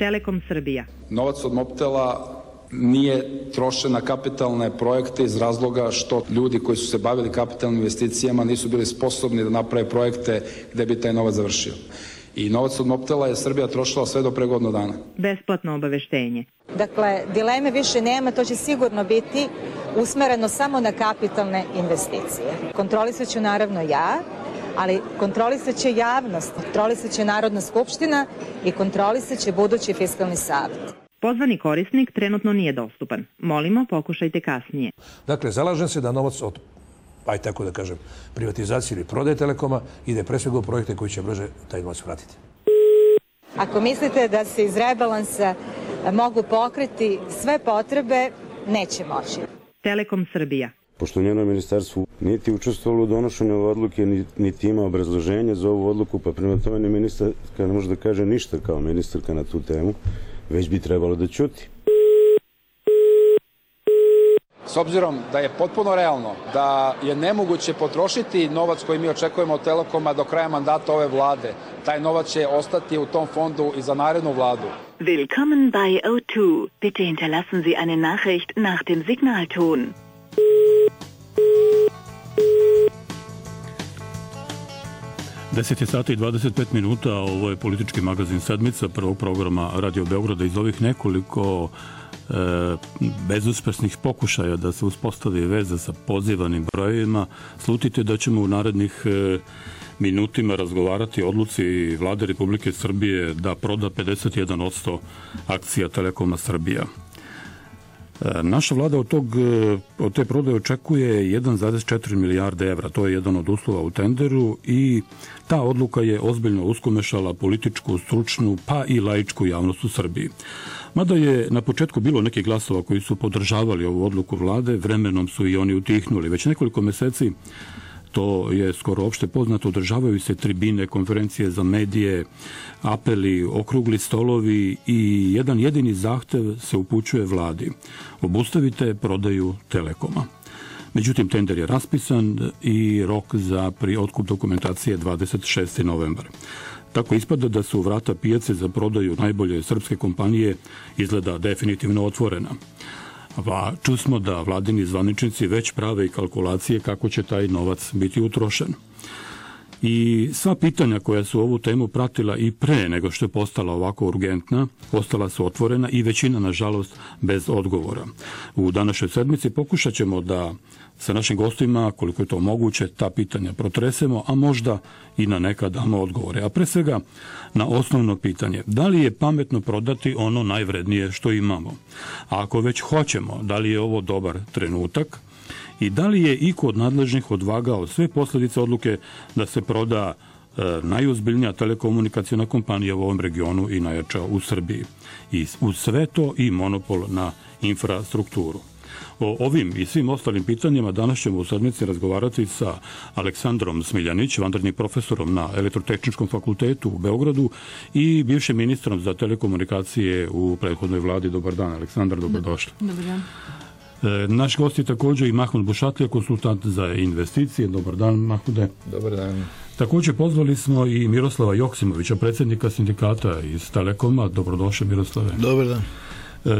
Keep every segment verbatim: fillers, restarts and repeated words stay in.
Telekom Srbija. Novac od Mobtela nije trošen na kapitalne projekte iz razloga što ljudi koji su se bavili kapitalnim investicijama nisu bili sposobni da naprave projekte gde bi taj novac završio. I novac od Mobtela je Srbija trošila sve do pre godinu dana. Besplatno obaveštenje. Dakle, dileme više nema, to će sigurno biti usmereno samo na kapitalne investicije. Kontrolisat ću naravno ja, ali kontrolisat će javnost, kontrolisat će Narodna skupština i kontrolisat će budući fiskalni savet. Pozvani korisnik trenutno nije dostupan. Molimo, pokušajte kasnije. Dakle, zalažem se da novac od, aj tako da kažem, privatizacije ili prodaje Telekoma ide pre svega u projekte koji će brže taj novac vratiti. Ako mislite da se iz rebalansa mogu pokriti sve potrebe, neće moći. Telekom Srbija. Pošto njeno ministarstvo niti učestvovalo u donošenju ove odluke, niti ima obrazloženje za ovu odluku, pa prema tome ni ministarka ne može da kaže ništa kao ministarka na tu temu, već bi trebalo da ćuti. S obzirom da je potpuno realno da je nemoguće potrošiti novac koji mi očekujemo od Telekoma do kraja mandata ove vlade, taj novac će ostati u tom fondu i za narednu vladu. Willkommen bei O dva. Bitte hinterlassen Sie eine Nachricht nach dem Signalton. deset je sati i dvadeset pet minuta, ovo je politički magazin Sedmica prvog programa Radio Beograda. Iz ovih nekoliko e, bezuspešnih pokušaja da se uspostavi veza sa pozivanim brojevima, slutite da ćemo u narednih e, minutima razgovarati o odluci Vlade Republike Srbije da proda pedeset jedan posto akcija Telekoma Srbija. Naša vlada od, tog, od te prodaje očekuje jedan zarez četiri milijarde evra. To je jedan od uslova u tenderu i ta odluka je ozbiljno uskomešala političku, stručnu pa i laičku javnost u Srbiji. Mada je na početku bilo nekih glasova koji su podržavali ovu odluku vlade, vremenom su i oni utihnuli. Već nekoliko meseci, to je skoro opšte poznato, održavaju se tribine, konferencije za medije, apeli, okrugli stolovi i jedan jedini zahtev se upućuje vladi. Obustavite prodaju Telekoma. Međutim, tender je raspisan i rok za pri otkup dokumentacije dvadeset šesti novembar. Tako ispada da su vrata pijace za prodaju najbolje srpske kompanije izgleda definitivno otvorena. Pa čusmo da vladini zvaničnici već prave i kalkulacije kako će taj novac biti utrošen. I sva pitanja koja su ovu temu pratila i pre nego što je postala ovako urgentna, ostala su otvorena i većina, nažalost, bez odgovora. U današnjoj sedmici pokušat ćemo da sa našim gostima, koliko je to moguće, ta pitanja protresemo, a možda i na neka damo odgovore. A pre svega na osnovno pitanje, da li je pametno prodati ono najvrednije što imamo? A ako već hoćemo, da li je ovo dobar trenutak? I da li je iko od nadležnih odvagao sve posljedice odluke da se proda e, najozbiljnija telekomunikacijna kompanija u ovom regionu i najjača u Srbiji? I uz sve to i monopol na infrastrukturu. O ovim i svim ostalim pitanjima danas ćemo u sedmici razgovarati sa Aleksandrom Smiljanić, vanrednim profesorom na Elektrotehničkom fakultetu u Beogradu i bivšim ministrom za telekomunikacije u prethodnoj vladi. Dobar dan, Aleksandar, dobrodošli. Dobar dan. Naš gost je također i Mahmud Bušatlija, konsultant za investicije. Dobar dan, Mahmude. Dobar dan. Također pozvali smo i Miroslava Joksimovića, predsjednika sindikata iz Telekoma. Dobrodošli, Miroslave. Dobar dan.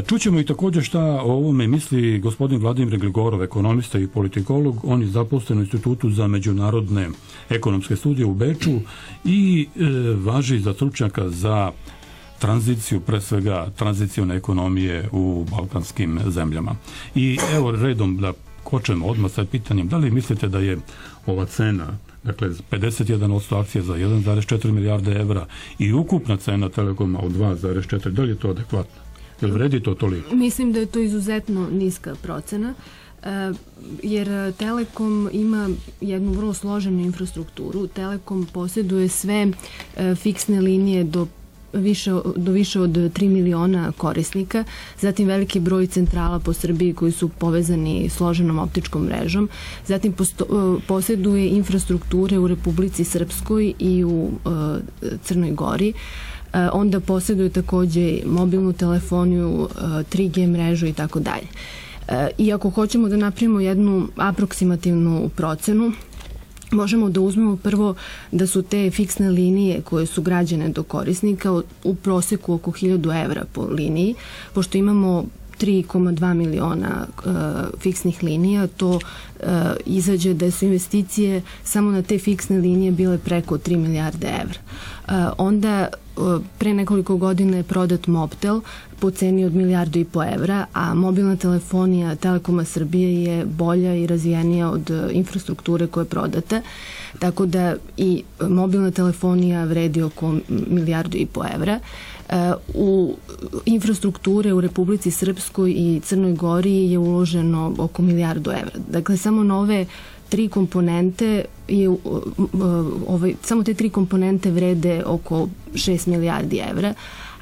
Čućemo i također šta o ovome misli gospodin Vladimir Gligorov, ekonomista i politikolog. On je zaposlen u Institutu za međunarodne ekonomske studije u Beču i e, važi za stručnjaka za tranziciju, pre svega tranzicione ekonomije u balkanskim zemljama. I evo redom da kočemo odmah sa pitanjem, da li mislite da je ova cena, dakle pedeset jedan posto akcija za jedan zarez četiri milijarde evra i ukupna cena Telekoma od dva zarez četiri, da li je to adekvatno? Jel vredi to toliko? Mislim da je to izuzetno niska procena, jer Telekom ima jednu vrlo složenu infrastrukturu. Telekom posjeduje sve fiksne linije do Više, do više od tri miliona korisnika, zatim veliki broj centrala po Srbiji koji su povezani složenom optičkom mrežom, zatim posto, posjeduje infrastrukture u Republici Srpskoj i u uh, Crnoj Gori, uh, onda posjeduje također mobilnu telefoniju, uh, tri G mrežu i tako dalje. I ako hoćemo da napravimo jednu aproksimativnu procenu, možemo da uzmemo prvo da su te fiksne linije koje su građene do korisnika u proseku oko hiljadu evra po liniji, pošto imamo tri zarez dva miliona uh, fiksnih linija, to uh, izađe da su investicije samo na te fiksne linije bile preko tri milijarde evra. Uh, onda uh, pre nekoliko godina je prodat Mobtel po ceni od milijardu i po evra, a mobilna telefonija Telekoma Srbije je bolja i razvijenija od uh, infrastrukture koja je prodata, tako da i mobilna telefonija vredi oko milijardu i po evra. U infrastrukture u Republici Srpskoj i Crnoj Gori je uloženo oko milijardu evra. Dakle, samo na ove tri komponente je, ovaj, samo te tri komponente vrede oko šest milijardi evra,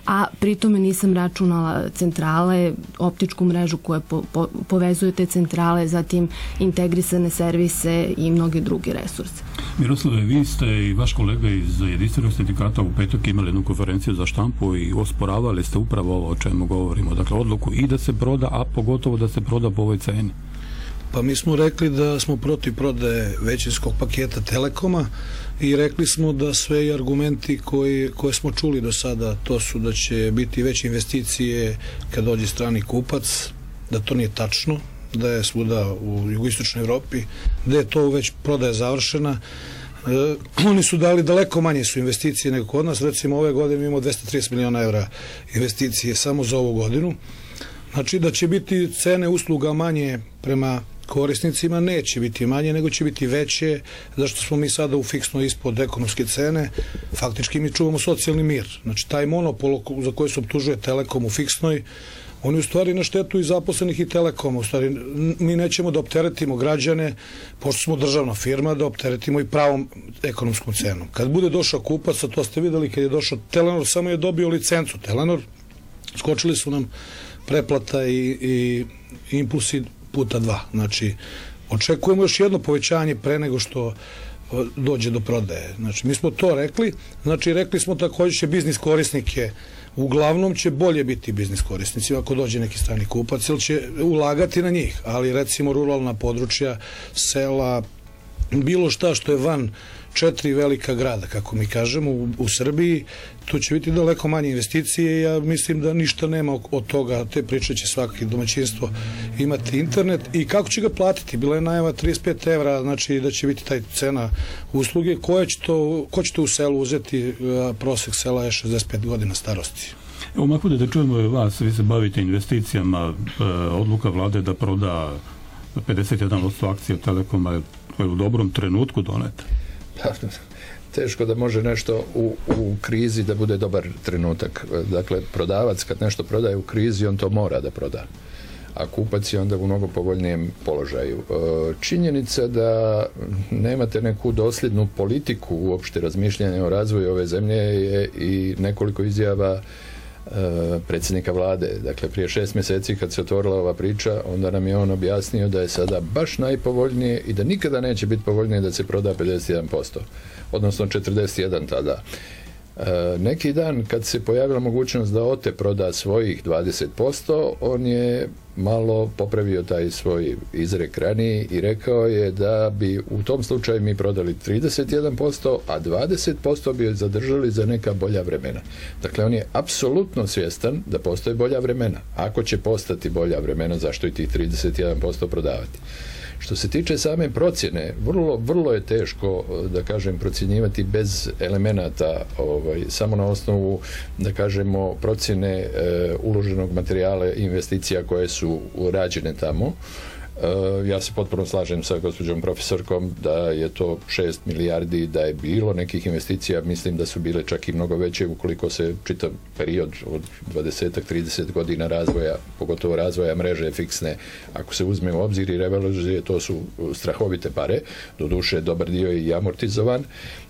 a pritome nisam računala centrale, optičku mrežu koja po, po, povezuje te centrale, zatim integrisane servise i mnoge druge resurse. Miroslave, vi ste i vaš kolega iz Jedinstvenog sindikata u petak imali jednu konferenciju za štampu i osporavali ste upravo ovo o čemu govorimo, dakle odluku i da se proda, a pogotovo da se proda po ovoj ceni. Pa mi smo rekli da smo protiv prodaje većinskog paketa Telekoma i rekli smo da sve argumenti koji, koje smo čuli do sada, to su da će biti veće investicije kad dođe strani kupac, da to nije tačno, da je svuda u jugoistočnoj Evropi, da je to već prodaja završena. E, oni su dali daleko manje su investicije nego kod nas, recimo ove godine imamo dvesta trideset miliona evra investicije samo za ovu godinu. Znači da će biti cene usluga manje prema korisnicima, neće biti manje, nego će biti veće, zašto smo mi sada u fiksno ispod ekonomske cene, faktički mi čuvamo socijalni mir. Znači taj monopol za koji se optužuje Telekom u fiksnoj, on je u stvari na štetu i zaposlenih i Telekoma. U stvari mi nećemo da opteretimo građane, pošto smo državna firma, da opteretimo i pravom ekonomskom cenom. Kad bude došao kupac, a to ste videli kad je došao Telenor, samo je dobio licencu Telenor, skočili su nam preplata i, i impulsi puta dva. Znači, očekujemo još jedno povećanje pre nego što dođe do prodaje. Znači, mi smo to rekli. Znači, rekli smo također će biznis korisnike, uglavnom će bolje biti biznis korisnici ako dođe neki strani kupac, ili će ulagati na njih. Ali, recimo, ruralna područja, sela, bilo šta što je van četiri velika grada, kako mi kažemo, u, u Srbiji, tu će biti daleko manje investicije i ja mislim da ništa nema od toga, te priče će svaki domaćinstvo imati internet i kako će ga platiti, bila je najava trideset pet evra, znači da će biti taj cena usluge, koja će to, ko će to u selu uzeti, prosek sela je šezdeset pet godina starosti. Evo, Mahmude, da čujemo vas, vi se bavite investicijama, odluka vlade da proda pedeset jedan posto akcija Telekoma je u dobrom trenutku doneta. Teško da može nešto u, u krizi da bude dobar trenutak. Dakle, prodavac kad nešto prodaje u krizi, on to mora da proda. A kupac je onda u mnogo povoljnijem položaju. Činjenica da nemate neku dosljednu politiku uopšte razmišljanja o razvoju ove zemlje je i nekoliko izjava predsjednika vlade. Dakle, prije šest mjeseci kad se otvorila ova priča, onda nam je on objasnio da je sada baš najpovoljnije i da nikada neće biti povoljnije da se proda pedeset jedan posto, odnosno četrdeset jedan tada. E, neki dan kad se pojavila mogućnost da O T E proda svojih dvadeset posto, on je malo popravio taj svoj izrek raniji i rekao je da bi u tom slučaju mi prodali trideset jedan posto, a dvadeset posto bi zadržali za neka bolja vremena. Dakle, on je apsolutno svjestan da postoje bolja vremena. Ako će postati bolja vremena, zašto i tih trideset jedan posto prodavati? Što se tiče same procjene, vrlo, vrlo je teško, da kažem, procjenjivati bez elemenata, ovaj, samo na osnovu, da kažemo, procjene e, uloženog materijala i investicija koje su rađene tamo. E, ja se potpuno slažem sa gospođom profesorkom da je to šest milijardi, da je bilo nekih investicija, mislim da su bile čak i mnogo veće ukoliko se čitav period od dvadeset do trideset godina razvoja, pogotovo razvoja mreže fiksne, ako se uzme u obzir i revalorizuje, to su strahovite pare, doduše dobar dio je i amortizovan,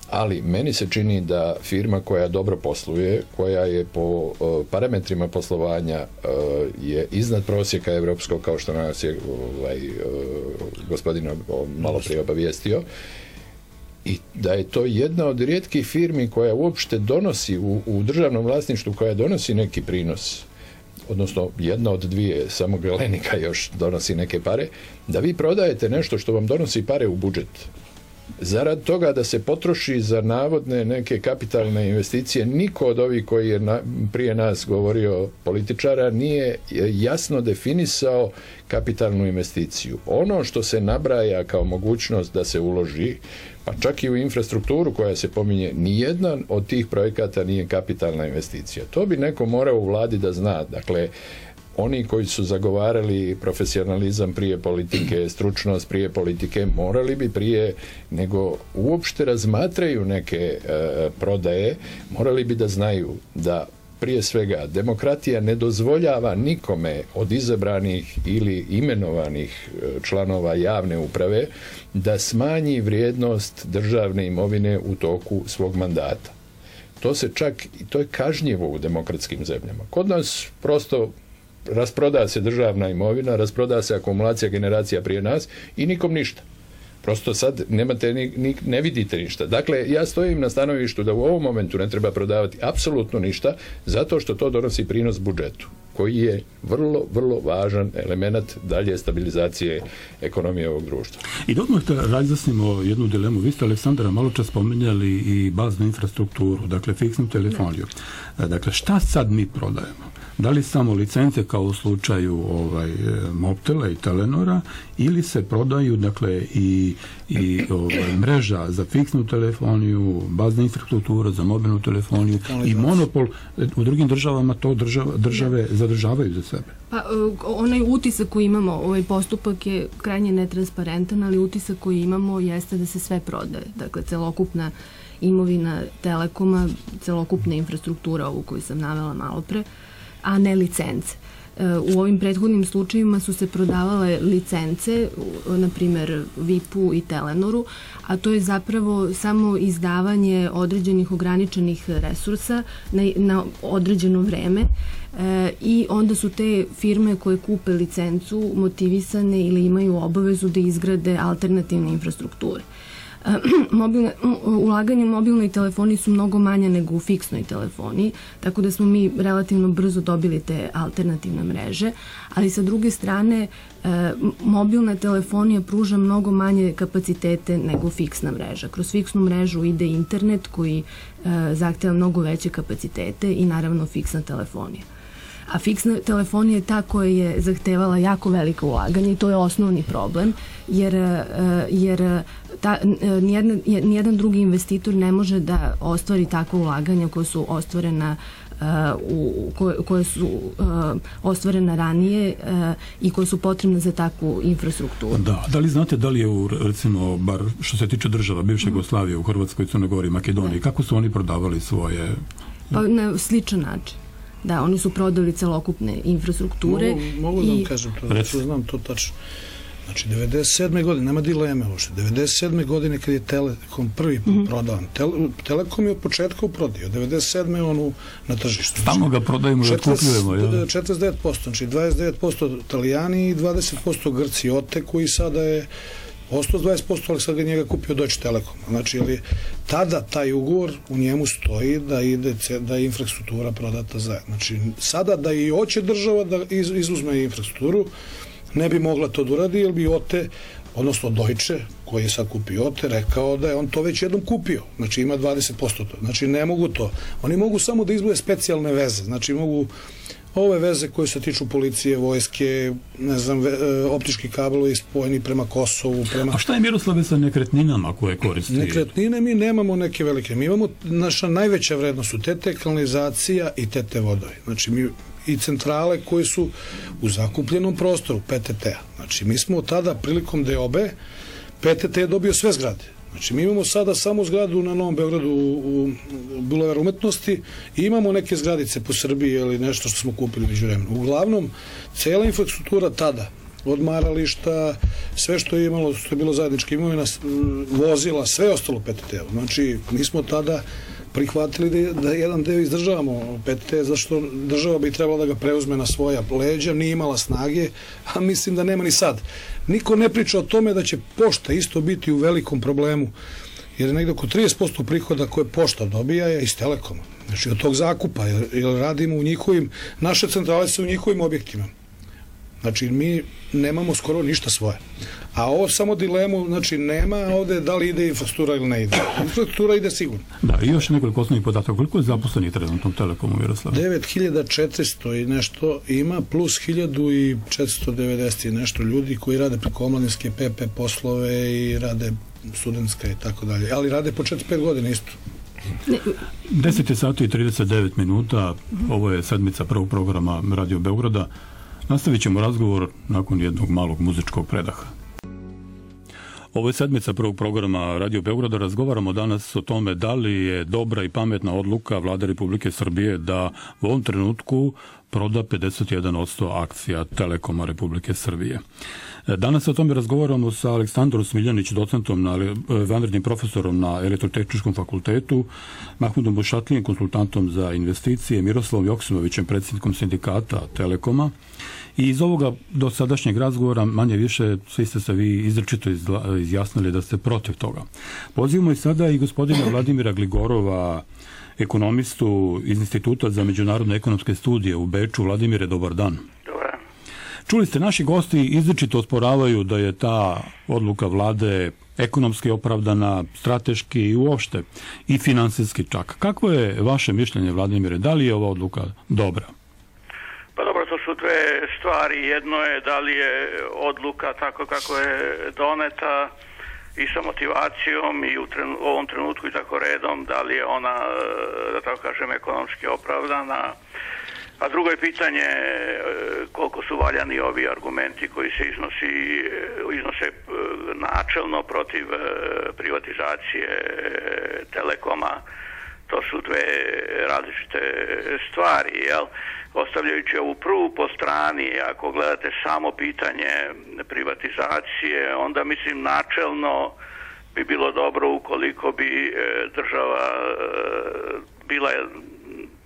ali meni se čini da firma koja dobro posluje, koja je po uh, parametrima poslovanja uh, je iznad prosjeka evropskog, kao što nas je ovaj, uh, gospodin malo prije obavijestio, i da je to jedna od rijetkih firmi koja uopšte donosi u, u državnom vlasništvu, koja donosi neki prinos, odnosno jedna od dvije, samo Galenika još donosi neke pare, da vi prodajete nešto što vam donosi pare u budžet. zarad toga da se potroši za navodne neke kapitalne investicije. Niko od ovih koji je na, prije nas govorio političara nije jasno definisao kapitalnu investiciju. Ono što se nabraja kao mogućnost da se uloži, pa čak i u infrastrukturu koja se pominje, nijedan od tih projekata nije kapitalna investicija. To bi neko morao u vladi da zna. Dakle, oni koji su zagovarali profesionalizam prije politike, stručnost prije politike, morali bi prije nego uopšte razmatraju neke e, prodaje, morali bi da znaju da prije svega demokratija ne dozvoljava nikome od izabranih ili imenovanih članova javne uprave da smanji vrijednost državne imovine u toku svog mandata. To se čak, to je kažnjivo u demokratskim zemljama. Kod nas prosto rasproda se državna imovina, rasproda se akumulacija generacija prije nas i nikom ništa. Prosto sad nemate ni, ni, ne vidite ništa. Dakle, ja stojim na stanovištu da u ovom momentu ne treba prodavati apsolutno ništa, zato što to donosi prinos budžetu, koji je vrlo, vrlo važan element dalje stabilizacije ekonomije ovog društva. I da odmah razjasnimo jednu dilemu. Vi ste, Aleksandra, malo čas spomenjali i baznu infrastrukturu, dakle fiksnu telefoniju. Dakle, šta sad mi prodajemo? Da li samo licence kao u slučaju ovaj, Mobtela i Telenora ili se prodaju dakle i, i ovaj, mreža za fiksnu telefoniju, bazna infrastruktura za mobilnu telefoniju i monopol u drugim državama to država, države zadržavaju za sebe? Pa onaj utisak koji imamo, ovaj postupak je krajnje netransparentan, ali utisak koji imamo jeste da se sve prodaje. Dakle, celokupna imovina Telekoma, celokupna infrastruktura ovu koju sam navela malo pre, a ne licence. U ovim prethodnim slučajima su se prodavale licence, na primjer V I P-u i Telenoru, a to je zapravo samo izdavanje određenih ograničenih resursa na, na određeno vreme e, i onda su te firme koje kupe licencu motivisane ili imaju obavezu da izgrade alternativne infrastrukture. Mobilne, ulaganje u mobilnoj telefoniji su mnogo manje nego u fiksnoj telefoniji, tako da smo mi relativno brzo dobili te alternativne mreže, ali sa druge strane e, mobilna telefonija pruža mnogo manje kapacitete nego fiksna mreža. Kroz fiksnu mrežu ide internet koji e, zahteva mnogo veće kapacitete i naravno fiksna telefonija. A fiksna telefonija je ta koja je zahtevala jako veliko ulaganje i to je osnovni problem, jer, jer ta, nijedan, nijedan drugi investitor ne može da ostvari takvo ulaganja koje su ostvarena u, koje, koje su uh, ostvarena ranije uh, i koje su potrebne za takvu infrastrukturu. Da, da li znate da li je u, recimo, bar što se tiče država bivše Jugoslavije, u Hrvatskoj, Crnoj Gori, Makedoniji, da. Kako su oni prodavali svoje... Pa na sličan način. Da, oni su prodali celokupne infrastrukture. Mogu, mogu da vam kažem to, da znam to tačno. Znači, devedeset sedme godine, nema dileme uopšte, devedeset sedme godine kad je Telekom prvi put mm-hmm. prodavan, Tele, Telekom je od početka prodio, devedeset sedme on na tržištu. Stalno ga prodajemo i otkupljujemo. Ja. četrdeset devet posto, znači dvadeset devet posto Italijani i dvadeset posto Grci, Ote, koji sada je ostao dvadeset posto, ali sad ga njega kupio Deutsche Telekom. Znači, ali tada taj ugovor u njemu stoji da ide da je infrastruktura prodata zajedno. Znači, sada da i hoće država da iz, izuzme infrastrukturu, ne bi mogla to da uradi, jer bi Ote, odnosno Deutsche, koji je sad kupio Ote, rekao da je on to već jednom kupio. Znači, ima dvadeset posto to. Znači, ne mogu to. Oni mogu samo da izbuje specijalne veze. Znači, mogu ove veze koje se tiču policije, vojske, ne znam, ve, optički kablovi spojeni prema Kosovu, prema... A šta je, Miroslave, sa nekretninama koje koristi? Nekretnine mi nemamo neke velike. Mi imamo, naša najveća vrednost su T T kanalizacija i T T vodovi. Znači, mi i centrale koje su u zakupljenom prostoru, P T T-a. Znači, mi smo tada, prilikom deobe, P T T je dobio sve zgrade. Znači, mi imamo sada samo zgradu na Novom Beogradu u, u Bulevar umetnosti i imamo neke zgradice po Srbiji ili nešto što smo kupili među vremenu. Uglavnom, cela infrastruktura tada, odmarališta, sve što je imalo, što je bilo zajednička imovina, vozila, sve ostalo P T T-u. Znači, mi smo tada prihvatili da, da jedan deo izdržavamo P T T, zašto država bi trebala da ga preuzme na svoja leđa, nije imala snage, a mislim da nema ni sad. Niko ne priča o tome da će pošta isto biti u velikom problemu, jer je negdje oko trideset posto prihoda koje pošta dobija je iz Telekoma. Znači od tog zakupa, jer, jer radimo u njihovim, naše centrale su u njihovim objektima. Znači, mi nemamo skoro ništa svoje. A ovo samo dilemu, znači, nema ovde da li ide infrastruktura ili ne ide. Infrastruktura ide sigurno. Da, i još nekoliko osnovnih podataka. Koliko je zaposlenih trenutno Telekomu, Miroslav? devet hiljada četiristo i nešto ima, plus hiljadu četiristo devedeset i nešto ljudi koji rade preko omladinske P P poslove i rade studentska i tako dalje. Ali rade po četiri pet godina isto. deset je sati i trideset devet minuta. Ovo je sedmica prvog programa Radio Beograda. Nastavit ćemo razgovor nakon jednog malog muzičkog predaha. Ovo je sedmica prvog programa Radio Beograda. Razgovaramo danas o tome da li je dobra i pametna odluka Vlade Republike Srbije da u ovom trenutku proda pedeset jedan posto akcija Telekoma Republike Srbije. Danas o tome razgovaramo sa Aleksandrom Smiljanić, docentom, na, vanrednim profesorom na Elektrotehničkom fakultetu, Mahmudom Bušatlijem, konsultantom za investicije, Miroslavom Joksimovićem, predsjednikom sindikata Telekoma. I iz ovoga dosadašnjeg razgovora manje više svi ste se vi izrečito izjasnili da ste protiv toga. Pozivamo i sada i gospodina Vladimira Gligorova, ekonomistu iz Instituta za međunarodne ekonomske studije u Beču. Vladimire, dobar dan. Dobar. Čuli ste, naši gosti izričito osporavaju da je ta odluka vlade ekonomski opravdana, strateški i uopšte i finansijski čak. Kakvo je vaše mišljenje, Vladimire? Da li je ova odluka dobra? Pa dobro, to su dve stvari. Jedno je da li je odluka tako kako je doneta i sa motivacijom i u trenu, ovom trenutku i tako redom, da li je ona, da tako kažem, ekonomski opravdana. A drugo je pitanje koliko su valjani ovi argumenti koji se iznosi, iznose načelno protiv privatizacije Telekoma. To su dve različite stvari, jel? Ostavljajući ovu prvu po strani, ako gledate samo pitanje privatizacije, onda mislim načelno bi bilo dobro ukoliko bi država bila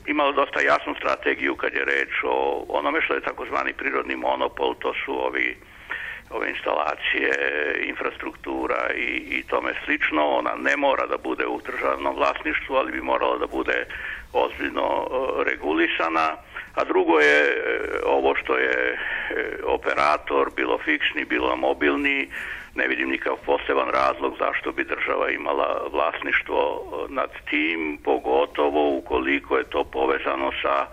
imala dosta jasnu strategiju kad je reč o onome što je takozvani prirodni monopol, to su ovi ove instalacije, infrastruktura i, i tome slično. Ona ne mora da bude u državnom vlasništvu, ali bi morala da bude ozbiljno regulisana. A drugo je ovo što je operator, bilo fiksni, bilo mobilni, ne vidim nikakav poseban razlog zašto bi država imala vlasništvo nad tim, pogotovo ukoliko je to povezano sa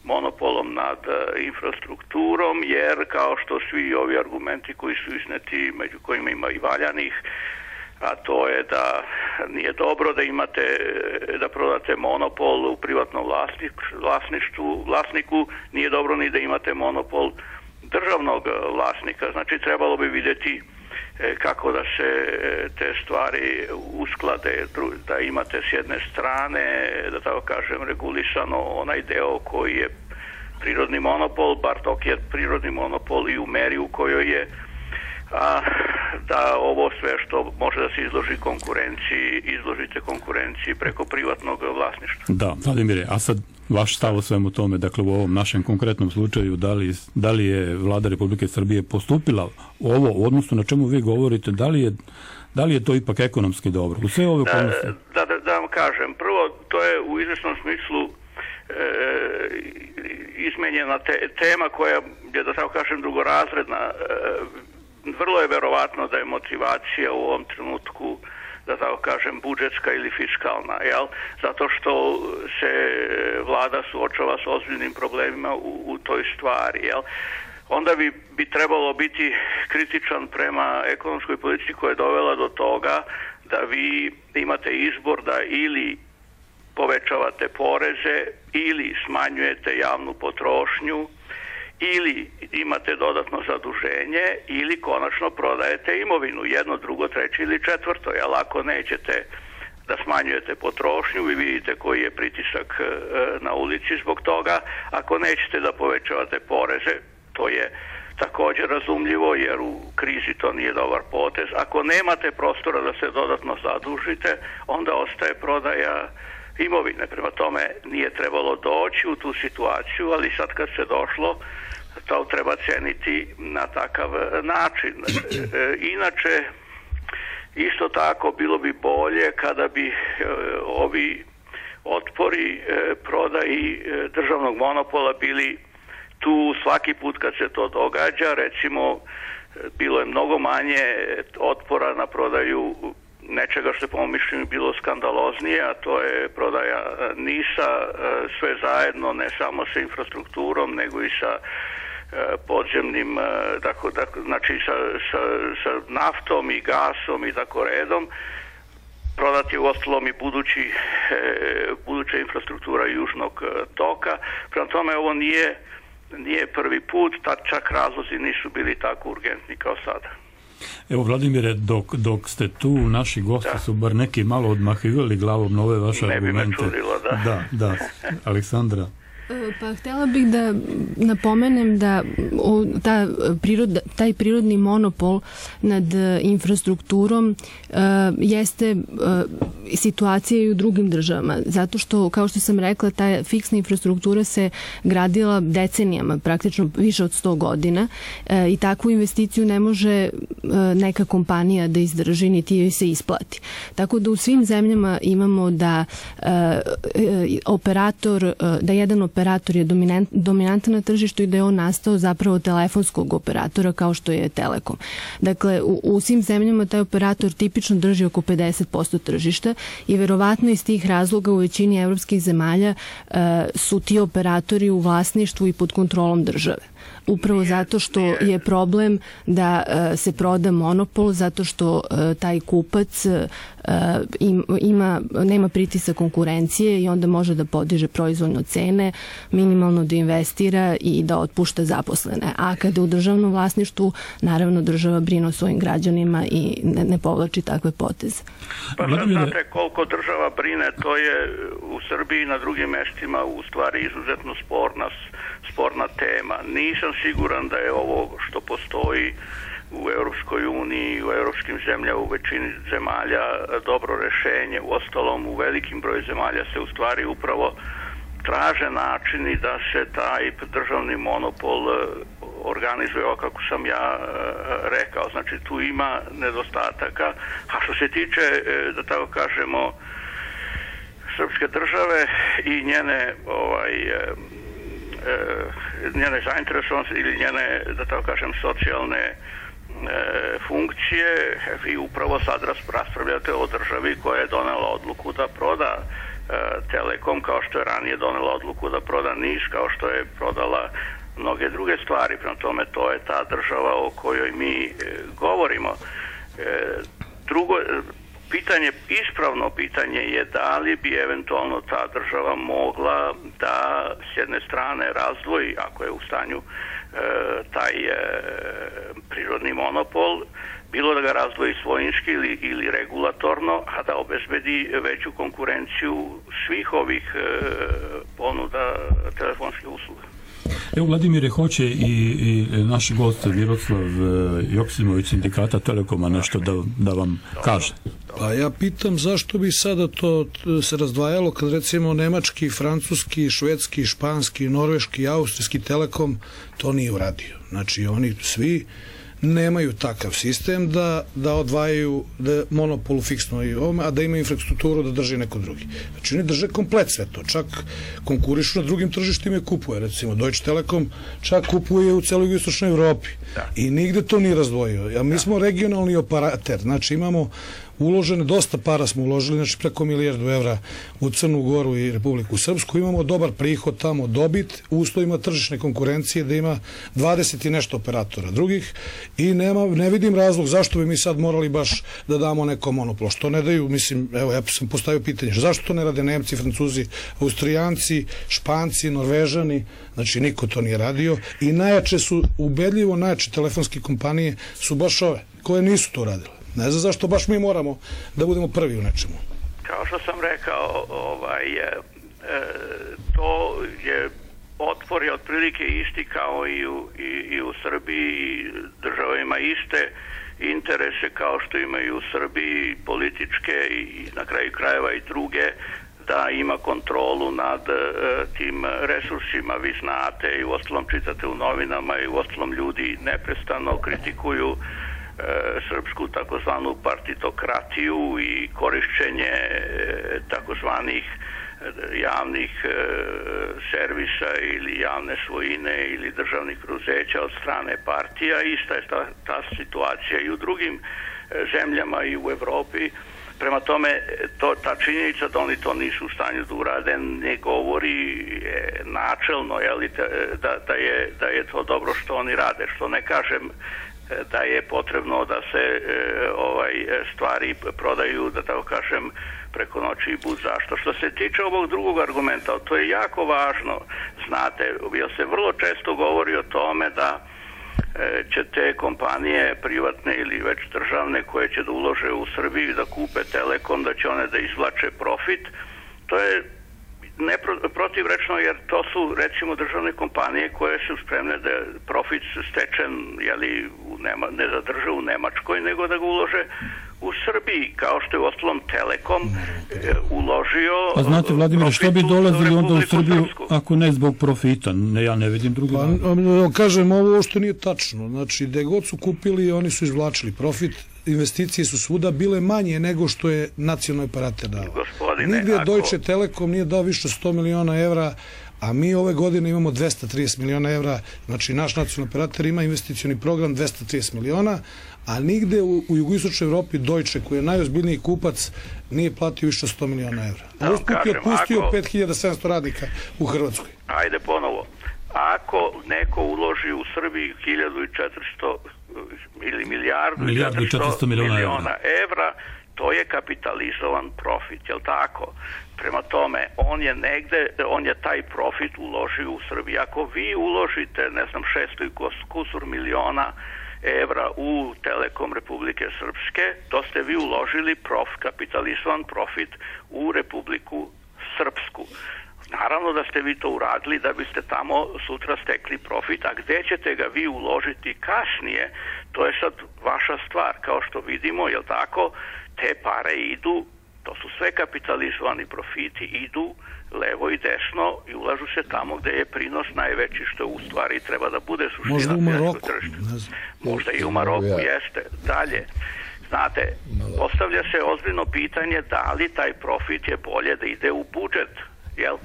monopolom nad infrastrukturom, jer kao što svi ovi argumenti koji su izneti, među kojima ima i valjanih, a to je da nije dobro da imate, da prodate monopol u privatnom vlasništvu, vlasniku, nije dobro ni da imate monopol državnog vlasnika. Znači trebalo bi vidjeti kako da se te stvari usklade, da imate s jedne strane, da tako kažem, regulisano onaj deo koji je prirodni monopol, bar dok je prirodni monopol i u meri u kojoj je, a da ovo sve što može da se izloži konkurenciji, izložite konkurenciji preko privatnog vlasništva. Da, Vladimire, a sad vaš stav o svemu tome, dakle u ovom našem konkretnom slučaju, da li, da li je Vlada Republike Srbije postupila ovo, u odnosu na čemu vi govorite, da li je, da li je to ipak ekonomski dobro? U sve ove okolnosti? Da, da, da vam kažem, prvo, to je u izvesnom smislu e, izmenjena te, tema koja je, da tako kažem, drugorazredna. E, vrlo je verovatno da je motivacija u ovom trenutku, da tako kažem, budžetska ili fiskalna, jel? Zato što se vlada suočava s ozbiljnim problemima u, u toj stvari, jel? Onda bi, bi trebalo biti kritičan prema ekonomskoj politici koja je dovela do toga da vi imate izbor da ili povećavate poreze ili smanjujete javnu potrošnju ili imate dodatno zaduženje ili konačno prodajete imovinu, jedno, drugo, treće ili četvrto. Jel, ako nećete da smanjujete potrošnju, vi vidite koji je pritisak na ulici zbog toga. Ako nećete da povećavate poreze, to je također razumljivo jer u krizi to nije dobar potez. Ako nemate prostora da se dodatno zadužite, onda ostaje prodaja imovine. Prema tome nije trebalo doći u tu situaciju, ali sad kad se došlo, to treba ceniti na takav način. E, inače, isto tako bilo bi bolje kada bi e, ovi otpori e, prodaji e, državnog monopola bili tu svaki put kad se to događa, recimo, bilo je mnogo manje otpora na prodaju nečega što je po mom mišljenju bilo skandaloznije, a to je prodaja NIS-a, sve zajedno, ne samo sa infrastrukturom, nego i sa podzemnim, tako, tako, znači sa, sa, sa naftom i gasom i tako redom. Prodati je u ostalom i budući, buduća infrastruktura južnog toka. Prema tome ovo nije, nije prvi put, tad čak razlozi nisu bili tako urgentni kao sada. Evo, Vladimire, dok, dok ste tu, naši gosti da. su bar neki malo odmahivali glavom na ove vaše ne argumente. Ne bi me čudilo, da. Da, da. Aleksandra? Pa htjela bih da napomenem da o, ta priroda, taj prirodni monopol nad infrastrukturom uh, jeste uh, situacija i u drugim državama. Zato što, kao što sam rekla, ta fiksna infrastruktura se gradila decenijama, praktično više od sto godina uh, i takvu investiciju ne može uh, neka kompanija da izdrži niti joj se isplati. Tako da u svim zemljama imamo da uh, operator, uh, da jedan operator operator je dominant, dominantan na tržištu i da je on nastao zapravo telefonskog operatora kao što je Telekom. Dakle, u, u svim zemljama taj operator tipično drži oko pedeset posto tržišta i verovatno iz tih razloga u većini evropskih zemalja uh, su ti operatori u vlasništvu i pod kontrolom države. Upravo zato što je problem da uh, se proda monopol, zato što uh, taj kupac uh, im, ima, nema pritisak konkurencije i onda može da podiže proizvoljno cene, minimalno da investira i da otpušta zaposlene. A kada u državnom vlasništvu, naravno država brine o svojim građanima i ne, ne povlači takve poteze. Pa sad znate koliko država brine, to je u Srbiji i na drugim mestima u stvari izuzetno sporna sporna tema. Nisam siguran da je ovo što postoji u Europskoj uniji, u europskim zemljama, u većini zemalja dobro rešenje. U ostalom, u velikim broju zemalja se u stvari upravo traže načini da se taj državni monopol organizuje ovako kako sam ja rekao. Znači, tu ima nedostataka. A što se tiče, da tako kažemo, srpske države i njene ovaj njene zainteresovanosti ili njene, da tako kažem, socijalne e, funkcije, vi upravo sad raspravljate o državi koja je donela odluku da proda e, Telekom, kao što je ranije donela odluku da proda NIS, kao što je prodala mnoge druge stvari. Prema tome, to je ta država o kojoj mi e, govorimo. E, drugo, pitanje, ispravno pitanje je da li bi eventualno ta država mogla da s jedne strane razdvoji, ako je u stanju e, taj e, prirodni monopol, bilo da ga razdvoji svojinski ili, ili regulatorno, a da obezbedi veću konkurenciju svih ovih e, ponuda telefonskih usluga. Evo, Vladimire, hoće i, i naš gost Miroslav Joksimović, sindikata Telekoma, nešto da, da vam kaže. Pa ja pitam zašto bi sada to se razdvajalo kad recimo nemački, francuski, švedski, španski, norveški, austrijski Telekom to nije uradio. Znači oni svi nemaju takav sistem da, da odvajaju da monopolu fiksno i ovome, a da ima infrastrukturu da drži neko drugi. Znači oni drže komplet sve to, čak konkurišu na drugim tržištima i kupuje, recimo Deutsche Telekom čak kupuje u celoj istočnoj Evropi i nigde to nije razdvojio. Ja, mi smo regionalni operater, znači imamo uložene, dosta para smo uložili, znači preko milijardu evra u Crnu Goru i Republiku Srpsku, imamo dobar prihod tamo, dobit, u uslovima tržišne konkurencije da ima dvadeset i nešto operatora drugih i nema, ne vidim razlog zašto bi mi sad morali baš da damo neko monopol, što ne daju, mislim, evo ja sam postavio pitanje, zašto to ne rade Nemci, Francuzi, Austrijanci, Španci, Norvežani, znači niko to nije radio i najjače su, ubedljivo najjače telefonske kompanije su baš ove, koje nisu to radile. Ne znam zašto baš mi moramo da budemo prvi u nečemu. Kao što sam rekao, ovaj, e, to je otpor je otprilike isti kao i u, i, i u Srbiji. Država ima iste interese kao što imaju u Srbiji, političke i na kraju krajeva i druge, da ima kontrolu nad e, tim resursima. Vi znate i u ostalom čitate u novinama i u ostalom ljudi neprestano kritikuju srpsku takozvanu partitokratiju i korišćenje takozvanih javnih e, servisa ili javne svojine ili državnih preduzeća od strane partija. Ista je ta, ta situacija i u drugim e, zemljama i u Evropi. Prema tome, to, ta činjenica da oni to nisu u stanju da urade ne govori e, načelno jeli, da, da, je, da je to dobro što oni rade. Što ne kažem da je potrebno da se e, ovaj stvari prodaju, da tako kažem, preko noći i bud zašto. Što se tiče ovog drugog argumenta, to je jako važno. Znate, jer se vrlo često govori o tome da e, će te kompanije privatne ili već državne koje će da ulože u Srbiji da kupe Telekom, da će one da izvlače profit. To je neprotivrečno, jer to su recimo državne kompanije koje su spremne da profit stečen jeli, u Nema, ne zadrže u Nemačkoj, nego da ga ulože u Srbiji, kao što je uostalom Telekom e, uložio. A znate, Vladimir, što bi dolazili onda u Srbiju Srpsku? Ako ne zbog profita? Ne, ja ne vidim drugi. Pa, kažem, ovo što nije tačno. Znači, gde god su kupili, oni su izvlačili profit. Investicije su svuda bile manje nego što je nacionalni operater dao. Gospodine, nigde ako... Deutsche Telekom nije dao više sto miliona evra, a mi ove godine imamo dvesta trideset miliona evra, znači naš nacionalni operator ima investicioni program dvesta trideset miliona, a nigde u, u jugoistočnoj Evropi Deutsche, koji je najozbiljniji kupac, nije platio više sto miliona evra. A usput je otpustio ako... pet hiljada sedamsto radnika u Hrvatskoj. Ajde ponovo. Ako neko uloži u Srbiji hiljadu i četiristo ili milijardu i četiristo miliona evra, to je kapitalizovan profit, jel tako? Prema tome, on je negde, on je taj profit uložio u Srbiji. Ako vi uložite, ne znam, šesto i kusur miliona evra u Telekom Republike Srpske, to ste vi uložili prof, kapitalizovan profit u Republiku Srpsku. Naravno da ste vi to uradili da biste tamo sutra stekli profit, a gde ćete ga vi uložiti kasnije, to je sad vaša stvar. Kao što vidimo, jel tako, te pare idu, to su sve kapitalizovani profiti, idu levo i desno i ulažu se tamo gde je prinos najveći, što u stvari treba da bude suština. Možda u Maroku. Možda i u Maroku, jeste. Dalje. Znate, postavlja se ozbiljno pitanje da li taj profit je bolje da ide u budžet. Jel,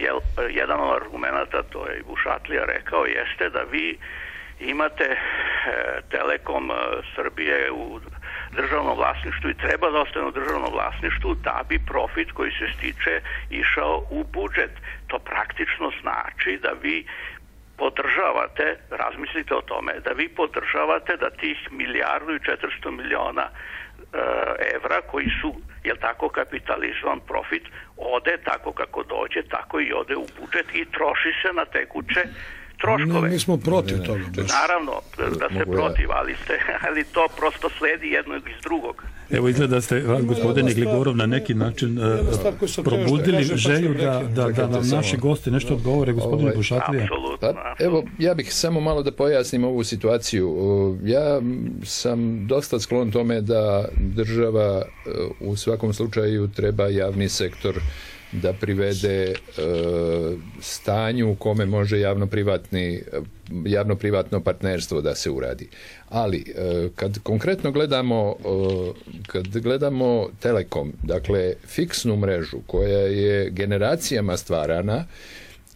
jel, jedan od argumenta, to je i Bušatlija rekao, jeste da vi imate e, Telekom e, Srbije u državnom vlasništvu i treba da ostane u državnom vlasništvu da bi profit koji se stiče išao u budžet. To praktično znači da vi podržavate, razmislite o tome, da vi podržavate da tih milijardu i četiristo miliona evra koji su, jel tako, kapitalizovan profit, ode tako kako dođe, tako i ode u budžet i troši se na tekuće troškove. Ne, mi smo protiv toga. Baš. Naravno da ste protiv, ali, ste, ali to prosto sledi jednog iz drugog. Evo izgleda ste, gospodine Gligorov, na neki način uh, probudili želju da, da, da nam naši gosti nešto odgovore, gospodine ovaj, Bušatlija. Pa, evo, ja bih samo malo da pojasnim ovu situaciju. Ja sam dosta sklon tome da država u svakom slučaju treba javni sektor da privede e, stanju u kome može javno-privatni, javno-privatno partnerstvo da se uradi. Ali, e, kad konkretno gledamo, e, kad gledamo Telekom, dakle, fiksnu mrežu koja je generacijama stvarana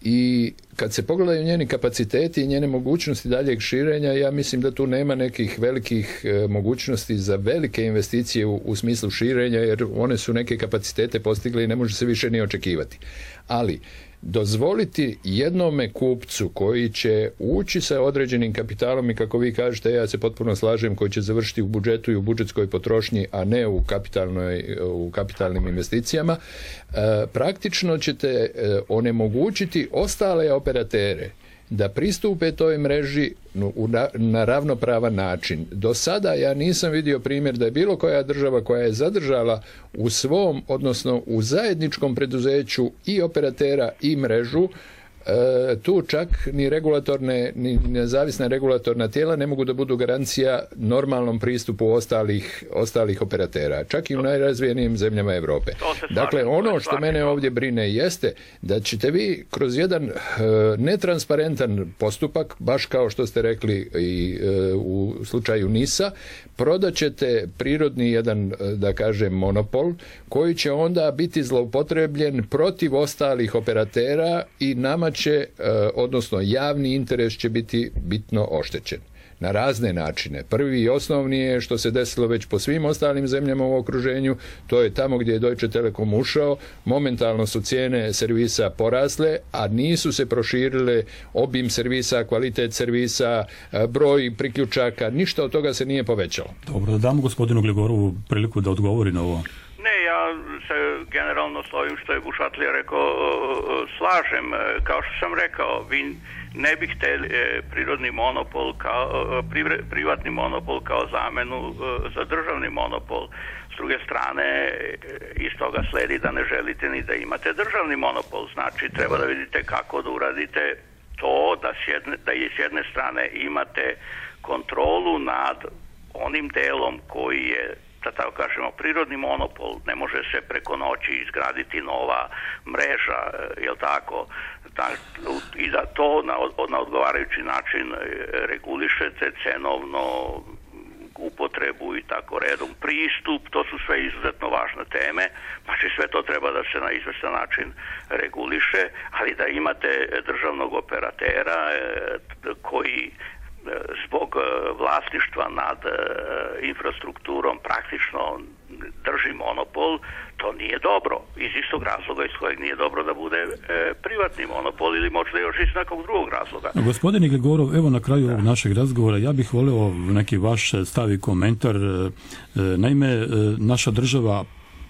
i kad se pogledaju njeni kapaciteti i njene mogućnosti daljeg širenja, ja mislim da tu nema nekih velikih e, mogućnosti za velike investicije u, u smislu širenja, jer one su neke kapacitete postigle i ne može se više ni očekivati. Ali dozvoliti jednome kupcu koji će ući sa određenim kapitalom i, kako vi kažete, ja se potpuno slažem, koji će završiti u budžetu i u budžetskoj potrošnji, a ne u, kapitalnoj, u kapitalnim investicijama, e, praktično ćete e, onemogućiti ostale operatere da pristupe toj mreži na, na ravnopravan način. Do sada ja nisam vidio primjer da je bilo koja država koja je zadržala u svom, odnosno u zajedničkom preduzeću i operatera i mrežu, tu čak ni regulatorne, ni nezavisna regulatorna tijela ne mogu da budu garancija normalnom pristupu ostalih, ostalih operatera, čak i u najrazvijenijim zemljama Europe. Dakle, ono što mene ovdje brine jeste da ćete vi kroz jedan netransparentan postupak, baš kao što ste rekli i u slučaju NIS-a, prodat ćete prirodni jedan, da kažem, monopol koji će onda biti zloupotrebljen protiv ostalih operatera i nama će, odnosno javni interes će biti bitno oštećen. Na razne načine. Prvi i osnovni je što se desilo već po svim ostalim zemljama u okruženju, to je tamo gdje je Deutsche Telekom ušao, momentalno su cijene servisa porasle, a nisu se proširile obim servisa, kvalitet servisa, broj priključaka, ništa od toga se nije povećalo. Dobro, da damo gospodinu Gligorovu priliku da odgovori na ovo. Ne, ja se generalno s ovim što je Bušatlija rekao slažem. Kao što sam rekao, vi ne bih htjeli prirodni monopol kao, privatni monopol kao zamenu za državni monopol. S druge strane, iz toga sledi da ne želite ni da imate državni monopol. Znači, treba da vidite kako da uradite to da, s jedne, da i s jedne strane imate kontrolu nad onim delom koji je, da tako kažemo, prirodni monopol. Ne može se preko noći izgraditi nova mreža, jel tako? Da, i da to na, na odgovarajući način regulišete cenovno, upotrebu i tako redom, pristup, to su sve izuzetno važne teme, znači sve to treba da se na izvestan način reguliše, ali da imate državnog operatera koji zbog vlasništva nad infrastrukturom praktično drži monopol, to nije dobro. Iz istog razloga iz kojeg nije dobro da bude e, privatni monopol ili možda još iz nekog drugog razloga. Gospodine Gligorov, evo na kraju ovog našeg razgovora ja bih voleo neki vaš stav i komentar. E, naime, naša država,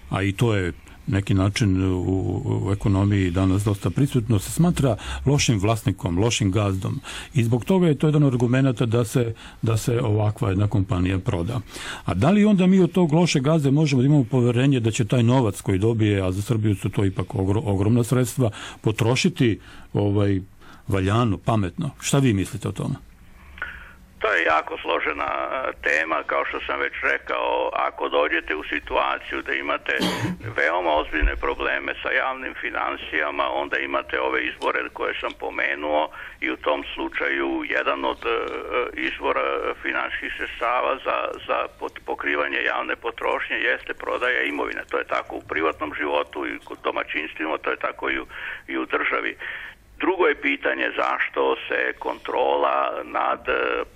a i to je neki način u, u ekonomiji danas dosta prisutno, se smatra lošim vlasnikom, lošim gazdom i zbog toga je to jedan od argumenta da se, da se ovakva jedna kompanija proda. A da li onda mi od tog loše gazde možemo da imamo poverenje da će taj novac koji dobije, a za Srbiju su to ipak ogromna sredstva, potrošiti ovaj, valjano, pametno? Šta vi mislite o tome? To je jako složena tema, kao što sam već rekao. Ako dođete u situaciju da imate veoma ozbiljne probleme sa javnim financijama, onda imate ove izvore koje sam pomenuo i u tom slučaju jedan od izvora financijskih sredstava za, za pokrivanje javne potrošnje jeste prodaja imovine. To je tako u privatnom životu i kod domaćinstvima, to je tako i u, i u državi. Drugo je pitanje zašto se kontrola nad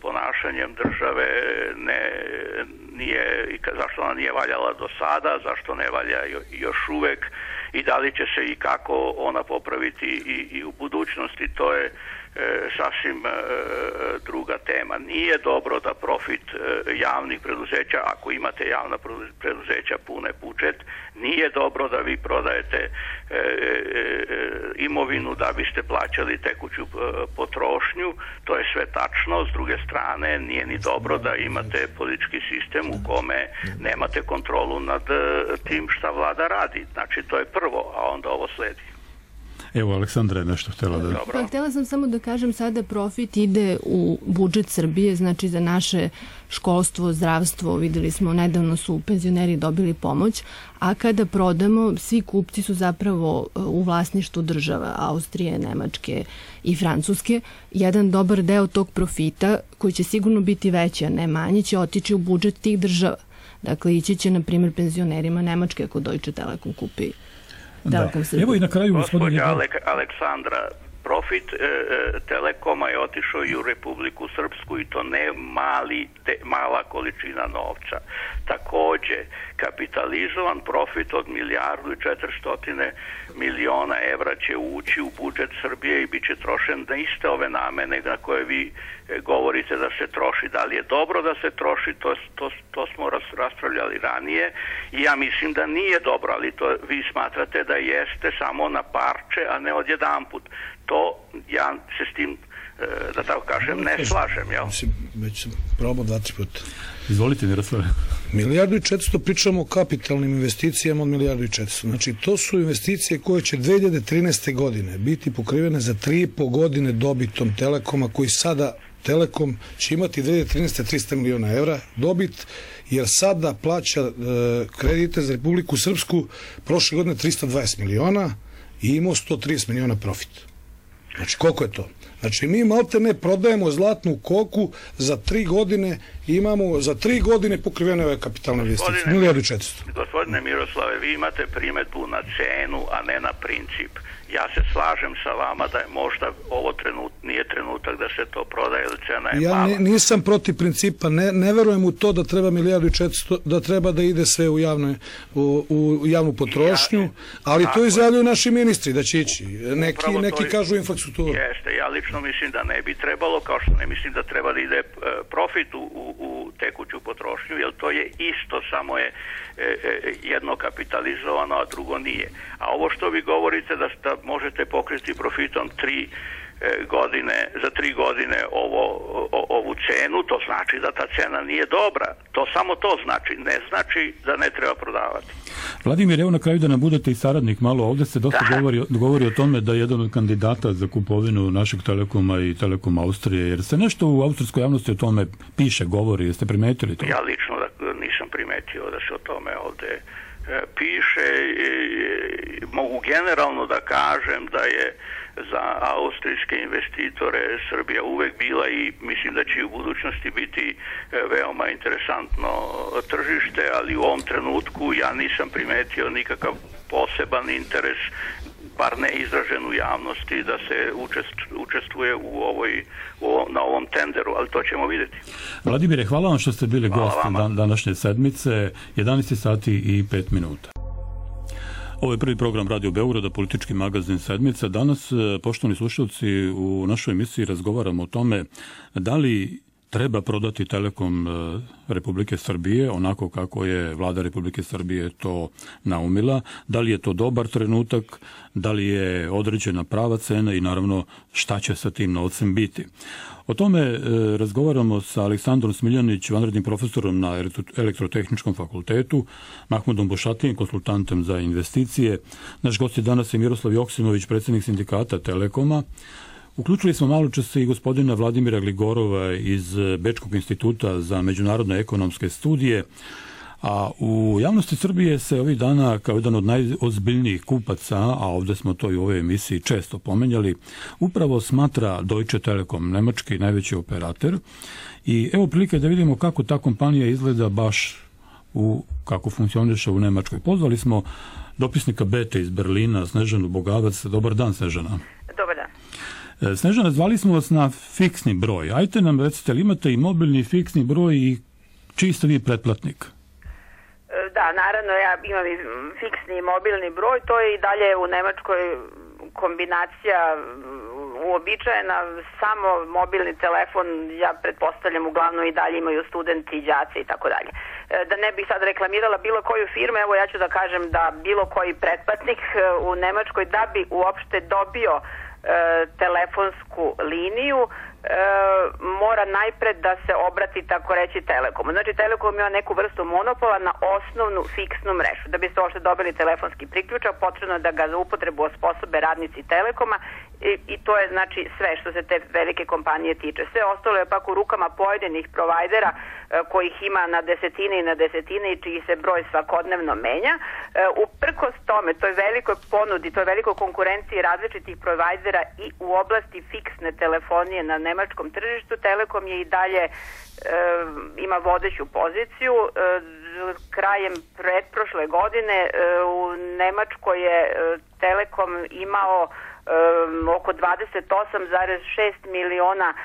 ponašanjem države ne, nije, zašto ona nije valjala do sada, zašto ne valja još uvek i da li će se i kako ona popraviti i, i u budućnosti. To je e, sasvim e, druga tema. Nije dobro da profit e, javnih preduzeća, ako imate javna preduzeća pune budžet, nije dobro da vi prodajete e, e, imovinu da biste plaćali tekuću e, potrošnju. To je sve tačno. S druge strane, nije ni dobro da imate politički sistem u kome nemate kontrolu nad e, tim šta vlada radi. Znači, to je prvo, a onda ovo sledi. Evo, Aleksandra je nešto htjela da... Pa, htjela sam samo da kažem, sada profit ide u budžet Srbije, znači za naše školstvo, zdravstvo, videli smo, nedavno su penzioneri dobili pomoć, a kada prodamo, svi kupci su zapravo u vlasništvu država, Austrije, Nemačke i Francuske. Jedan dobar deo tog profita, koji će sigurno biti veći, a ne manji, će otići u budžet tih država. Dakle, ići će, na primjer, penzionerima Nemačke ako Deutsche Telekom kupi. Da. Evo i na kraju gospodin Alek, Aleksandra, profit e, Telekoma je otišao i u Republiku Srpsku i to ne mali, te, mala količina novca. Takođe, kapitalizovan profit od milijardu i četiristotine miliona evra će ući u budžet Srbije i bit će trošen na iste ove namene na koje vi govorite da se troši. Da li je dobro da se troši, to, to, to smo raspravljali ranije i ja mislim da nije dobro, ali to vi smatrate da jeste samo na parče, a ne odjedanput. To ja se s tim da tako kažem, ne slažem, jel? Već sam probao dva, tri puta. Izvolite, Miroslave. Milijardu i četiristo pričamo o kapitalnim investicijama od milijardu i četiristo. Znači, to su investicije koje će dve hiljade trinaeste. godine biti pokrivene za tri i po godine dobitom Telekoma, koji sada Telekom će imati dve hiljade trinaeste. trista miliona evra dobit, jer sada plaća e, kredite za Republiku Srpsku prošle godine trista dvadeset miliona i imao sto trideset miliona profit. Znači, koliko je to? Znači, mi malte ne prodajemo zlatnu koku za tri godine, imamo za tri godine pokrivene ove kapitalne investicije. Milijardu i četiristo. Gospodine Miroslave, vi imate primedbu na cenu, a ne na princip. Ja se slažem sa vama da je možda ovo trenut, nije trenutak da se to prodaje, ili cena je ja mala. Ja nisam protiv principa, ne, ne verujem u to da treba milijardu i četiristo, da treba da ide sve u, javne, u, u javnu potrošnju, ja, ali to izjavljuju naši ministri da će ići. Neki, neki kažu infrastrukturu. Jeste, ja lično mislim da ne bi trebalo, kao što ne mislim da treba da ide profit u, u, u tekuću potrošnju, jer to je isto, samo je jedno kapitalizovano, a drugo nije. A ovo što vi govorite da, da možete pokriti profitom tri godine, za tri godine ovo, o, ovu cenu, to znači da ta cena nije dobra. To samo to znači, ne znači da ne treba prodavati. Vladimir, evo na kraju da nam budete i saradnik malo, ovdje se dosta govori, govori o tome da je jedan od kandidata za kupovinu našeg Telekoma i Telekom Austrije, jer se nešto u austrijskoj javnosti o tome piše, govori, jeste primetili to? Ja lično da, nisam primetio da se o tome ovdje e, piše. E, mogu generalno da kažem da je za austrijske investitore Srbija uvek bila i mislim da će i u budućnosti biti veoma interesantno tržište, ali u ovom trenutku ja nisam primetio nikakav poseban interes, bar ne izražen u javnosti, da se učestvuje u ovoj, u ovom, na ovom tenderu, ali to ćemo vidjeti. Vladimire, hvala vam što ste bili gost dan, današnje sedmice, jedanaest sati i pet minuta. Ovo je prvi program Radio Beograda, politički magazin Sedmica. Danas, poštovani slušalci, u našoj emisiji razgovaramo o tome da li treba prodati Telekom Republike Srbije onako kako je vlada Republike Srbije to naumila, da li je to dobar trenutak, da li je određena prava cena i naravno šta će sa tim novcem biti. O tome e, razgovaramo sa Aleksandrom Smiljanić, vanrednim profesorom na Elektrotehničkom fakultetu, Mahmudom Bošatijem, konsultantem za investicije. Naš gost je danas je Miroslav Joksimović, predsjednik sindikata Telekoma. Uključili smo malo čas i gospodina Vladimira Gligorova iz Bečkog instituta za međunarodne ekonomske studije, a u javnosti Srbije se ovih dana kao jedan od najozbiljnijih kupaca, a ovdje smo to i u ovoj emisiji često pomenjali, upravo smatra Deutsche Telekom, nemački najveći operator. I evo prilike da vidimo kako ta kompanija izgleda baš u, kako funkcioniše u Nemačkoj. Pozvali smo dopisnika Bete iz Berlina, Snežanu Bogavac. Dobar dan, Snežana. Dobar dan. Snežana, zvali smo vas na fiksni broj. Ajte nam recite, li imate i mobilni fiksni broj i čiji ste vi pretplatnik? Da, naravno, ja imam i fiksni i mobilni broj. To je i dalje u Nemačkoj kombinacija uobičajena. Samo mobilni telefon, ja pretpostavljam, uglavnom i dalje imaju studenti, đaci i tako dalje. Da ne bih sad reklamirala bilo koju firmu, evo ja ću da kažem da bilo koji pretplatnik u Nemačkoj da bi uopšte dobio telefonsku liniju e, mora najpred da se obrati, tako reći, Telekomu. Znači, Telekom ima neku vrstu monopola na osnovnu fiksnu mrežu. Da biste uopšte dobili telefonski priključak, potrebno da ga za upotrebu osposobe radnici Telekoma i, i to je znači sve što se te velike kompanije tiče. Sve ostalo je pak u rukama pojedinih provajdera e, kojih ima na desetine i na desetine i čiji se broj svakodnevno menja. E, uprkos tome, toj velikoj ponudi, toj velikoj konkurenciji različitih provajdera i u oblasti fiksne telefonije na nemačkom tržištu, Telekom je i dalje e, ima vodeću poziciju. E, krajem pretprošle godine e, u Nemačkoj je e, Telekom imao e, oko dvadeset osam zarez šest miliona e,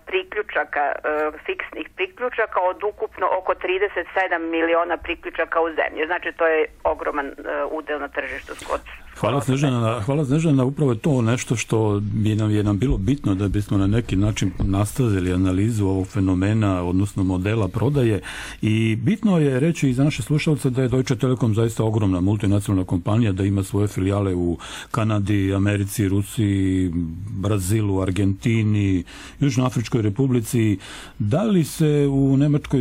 priključaka, e, fiksnih priključaka od ukupno oko trideset sedam miliona priključaka u zemlji. Znači to je ogroman e, udel na tržištu kod Hvala Snežana, hvala Snežana, upravo je to nešto što bi nam je nam bilo bitno da bismo na neki način nastavili analizu ovog fenomena, odnosno modela prodaje, i bitno je reći i za naše slušalce da je Deutsche Telekom zaista ogromna multinacionalna kompanija, da ima svoje filijale u Kanadi, Americi, Rusiji, Brazilu, Argentini, Južnoafričkoj Republici. Da li se u Nemačkoj,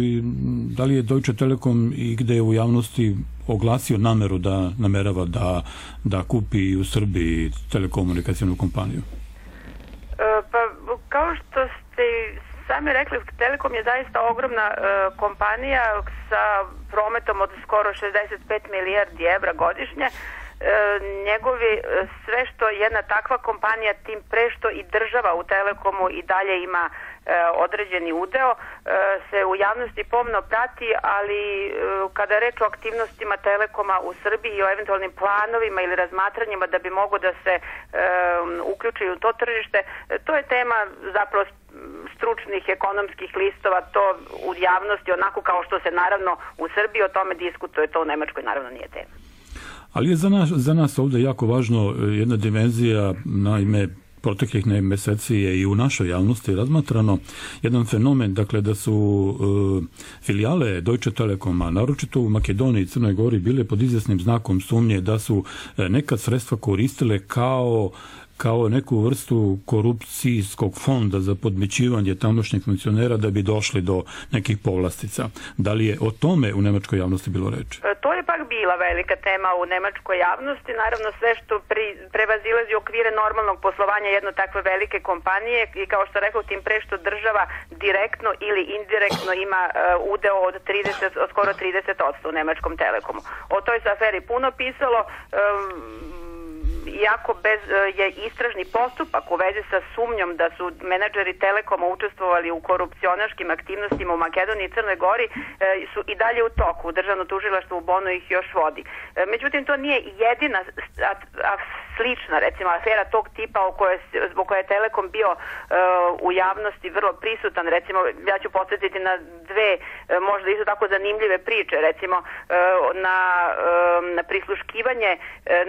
da li je Deutsche Telekom i gde je u javnosti oglasio nameru da namerava da, da kupi u Srbiji telekomunikacijnu kompaniju? E, pa, kao što ste sami rekli, Telekom je zaista ogromna e, kompanija sa prometom od skoro šezdeset pet milijardi evra godišnje. E, njegovi, sve što jedna takva kompanija, tim pre što i država u Telekomu i dalje ima e, određeni udeo, e, se u javnosti pomno prati, ali e, kada je reč o aktivnostima Telekoma u Srbiji i o eventualnim planovima ili razmatranjima da bi mogo da se e, uključi u to tržište, to je tema zapravo stručnih ekonomskih listova, to u javnosti onako kao što se naravno u Srbiji o tome diskutuje, to u Nemačkoj naravno nije tema. Ali je za nas, za nas ovdje jako važno jedna dimenzija, naime, proteklih meseci je i u našoj javnosti razmatrano jedan fenomen, dakle da su e, filijale Deutsche Telekoma, naročito u Makedoniji i Crnoj Gori, bile pod izvjesnim znakom sumnje da su e, nekad sredstva koristile kao kao neku vrstu korupcijskog fonda za podmićivanje tamošnjih funkcionera da bi došli do nekih povlastica. Da li je o tome u nemačkoj javnosti bilo reči? To je pak bila velika tema u nemačkoj javnosti. Naravno, sve što pri, prevazilazi okvire normalnog poslovanja jedno takve velike kompanije i kao što rekao, tim pre što država direktno ili indirektno ima uh, udeo od trideset, od skoro trideset posto u nemačkom Telekomu. O toj se aferi puno pisalo, um, iako bez, je istražni postupak u vezi sa sumnjom da su menadžeri Telekoma učestvovali u korupcionaškim aktivnostima u Makedoniji i Crnoj Gori, su i dalje u toku. Državno tužilaštvo u Bonu ih još vodi. Međutim, to nije jedina a, a slična, recimo, afera tog tipa o kojoj, zbog koje je Telekom bio uh, u javnosti vrlo prisutan. Recimo, ja ću podsjetiti na dve uh, možda isto tako zanimljive priče. Recimo, uh, na, uh, na prisluškivanje, uh,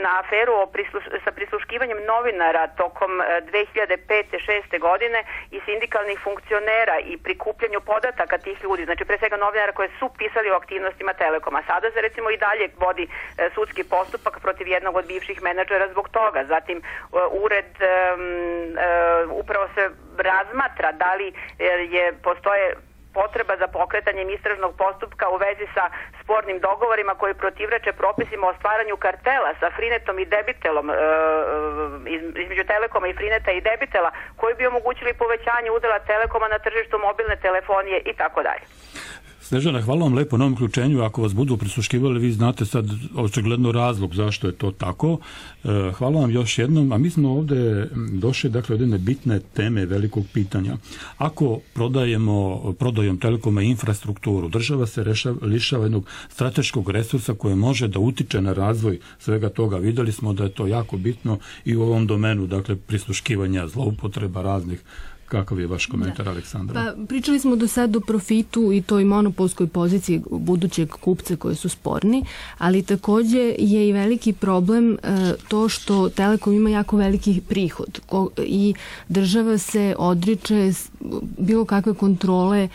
na aferu o prisluš, sa prisluškivanjem novinara tokom uh, dve hiljade pete šeste godine i sindikalnih funkcionera i prikupljanju podataka tih ljudi, znači pre svega novinara koje su pisali o aktivnostima Telekoma. Sada se recimo i dalje vodi uh, sudski postupak protiv jednog od bivših menadžera zbog toga. Zatim ured um, uh, upravo se razmatra da li je postoje potreba za pokretanjem istražnog postupka u vezi sa spornim dogovorima koji protivreče propisima o stvaranju kartela sa Frinetom i Debitelom, uh, između Telekoma i Frineta i Debitela, koji bi omogućili povećanje udela Telekoma na tržištu mobilne telefonije i tako dalje. Snežana, hvala vam lepo na ovom uključenju. Ako vas budu prisluškivali, vi znate sad očigledno razlog zašto je to tako. Hvala vam još jednom. A mi smo ovdje došli, dakle, od jedne bitne teme velikog pitanja. Ako prodajemo, prodajom Telekoma infrastrukturu, država se rešava, lišava jednog strateškog resursa koje može da utiče na razvoj svega toga. Vidjeli smo da je to jako bitno i u ovom domenu, dakle, prisluškivanja, zloupotreba raznih. Kakav je vaš komentar, da. Aleksandra? Pa, pričali smo do sad o profitu i toj monopolskoj poziciji budućeg kupca koji su sporni, ali također je i veliki problem e, to što Telekom ima jako veliki prihod ko, i država se odriče bilo kakve kontrole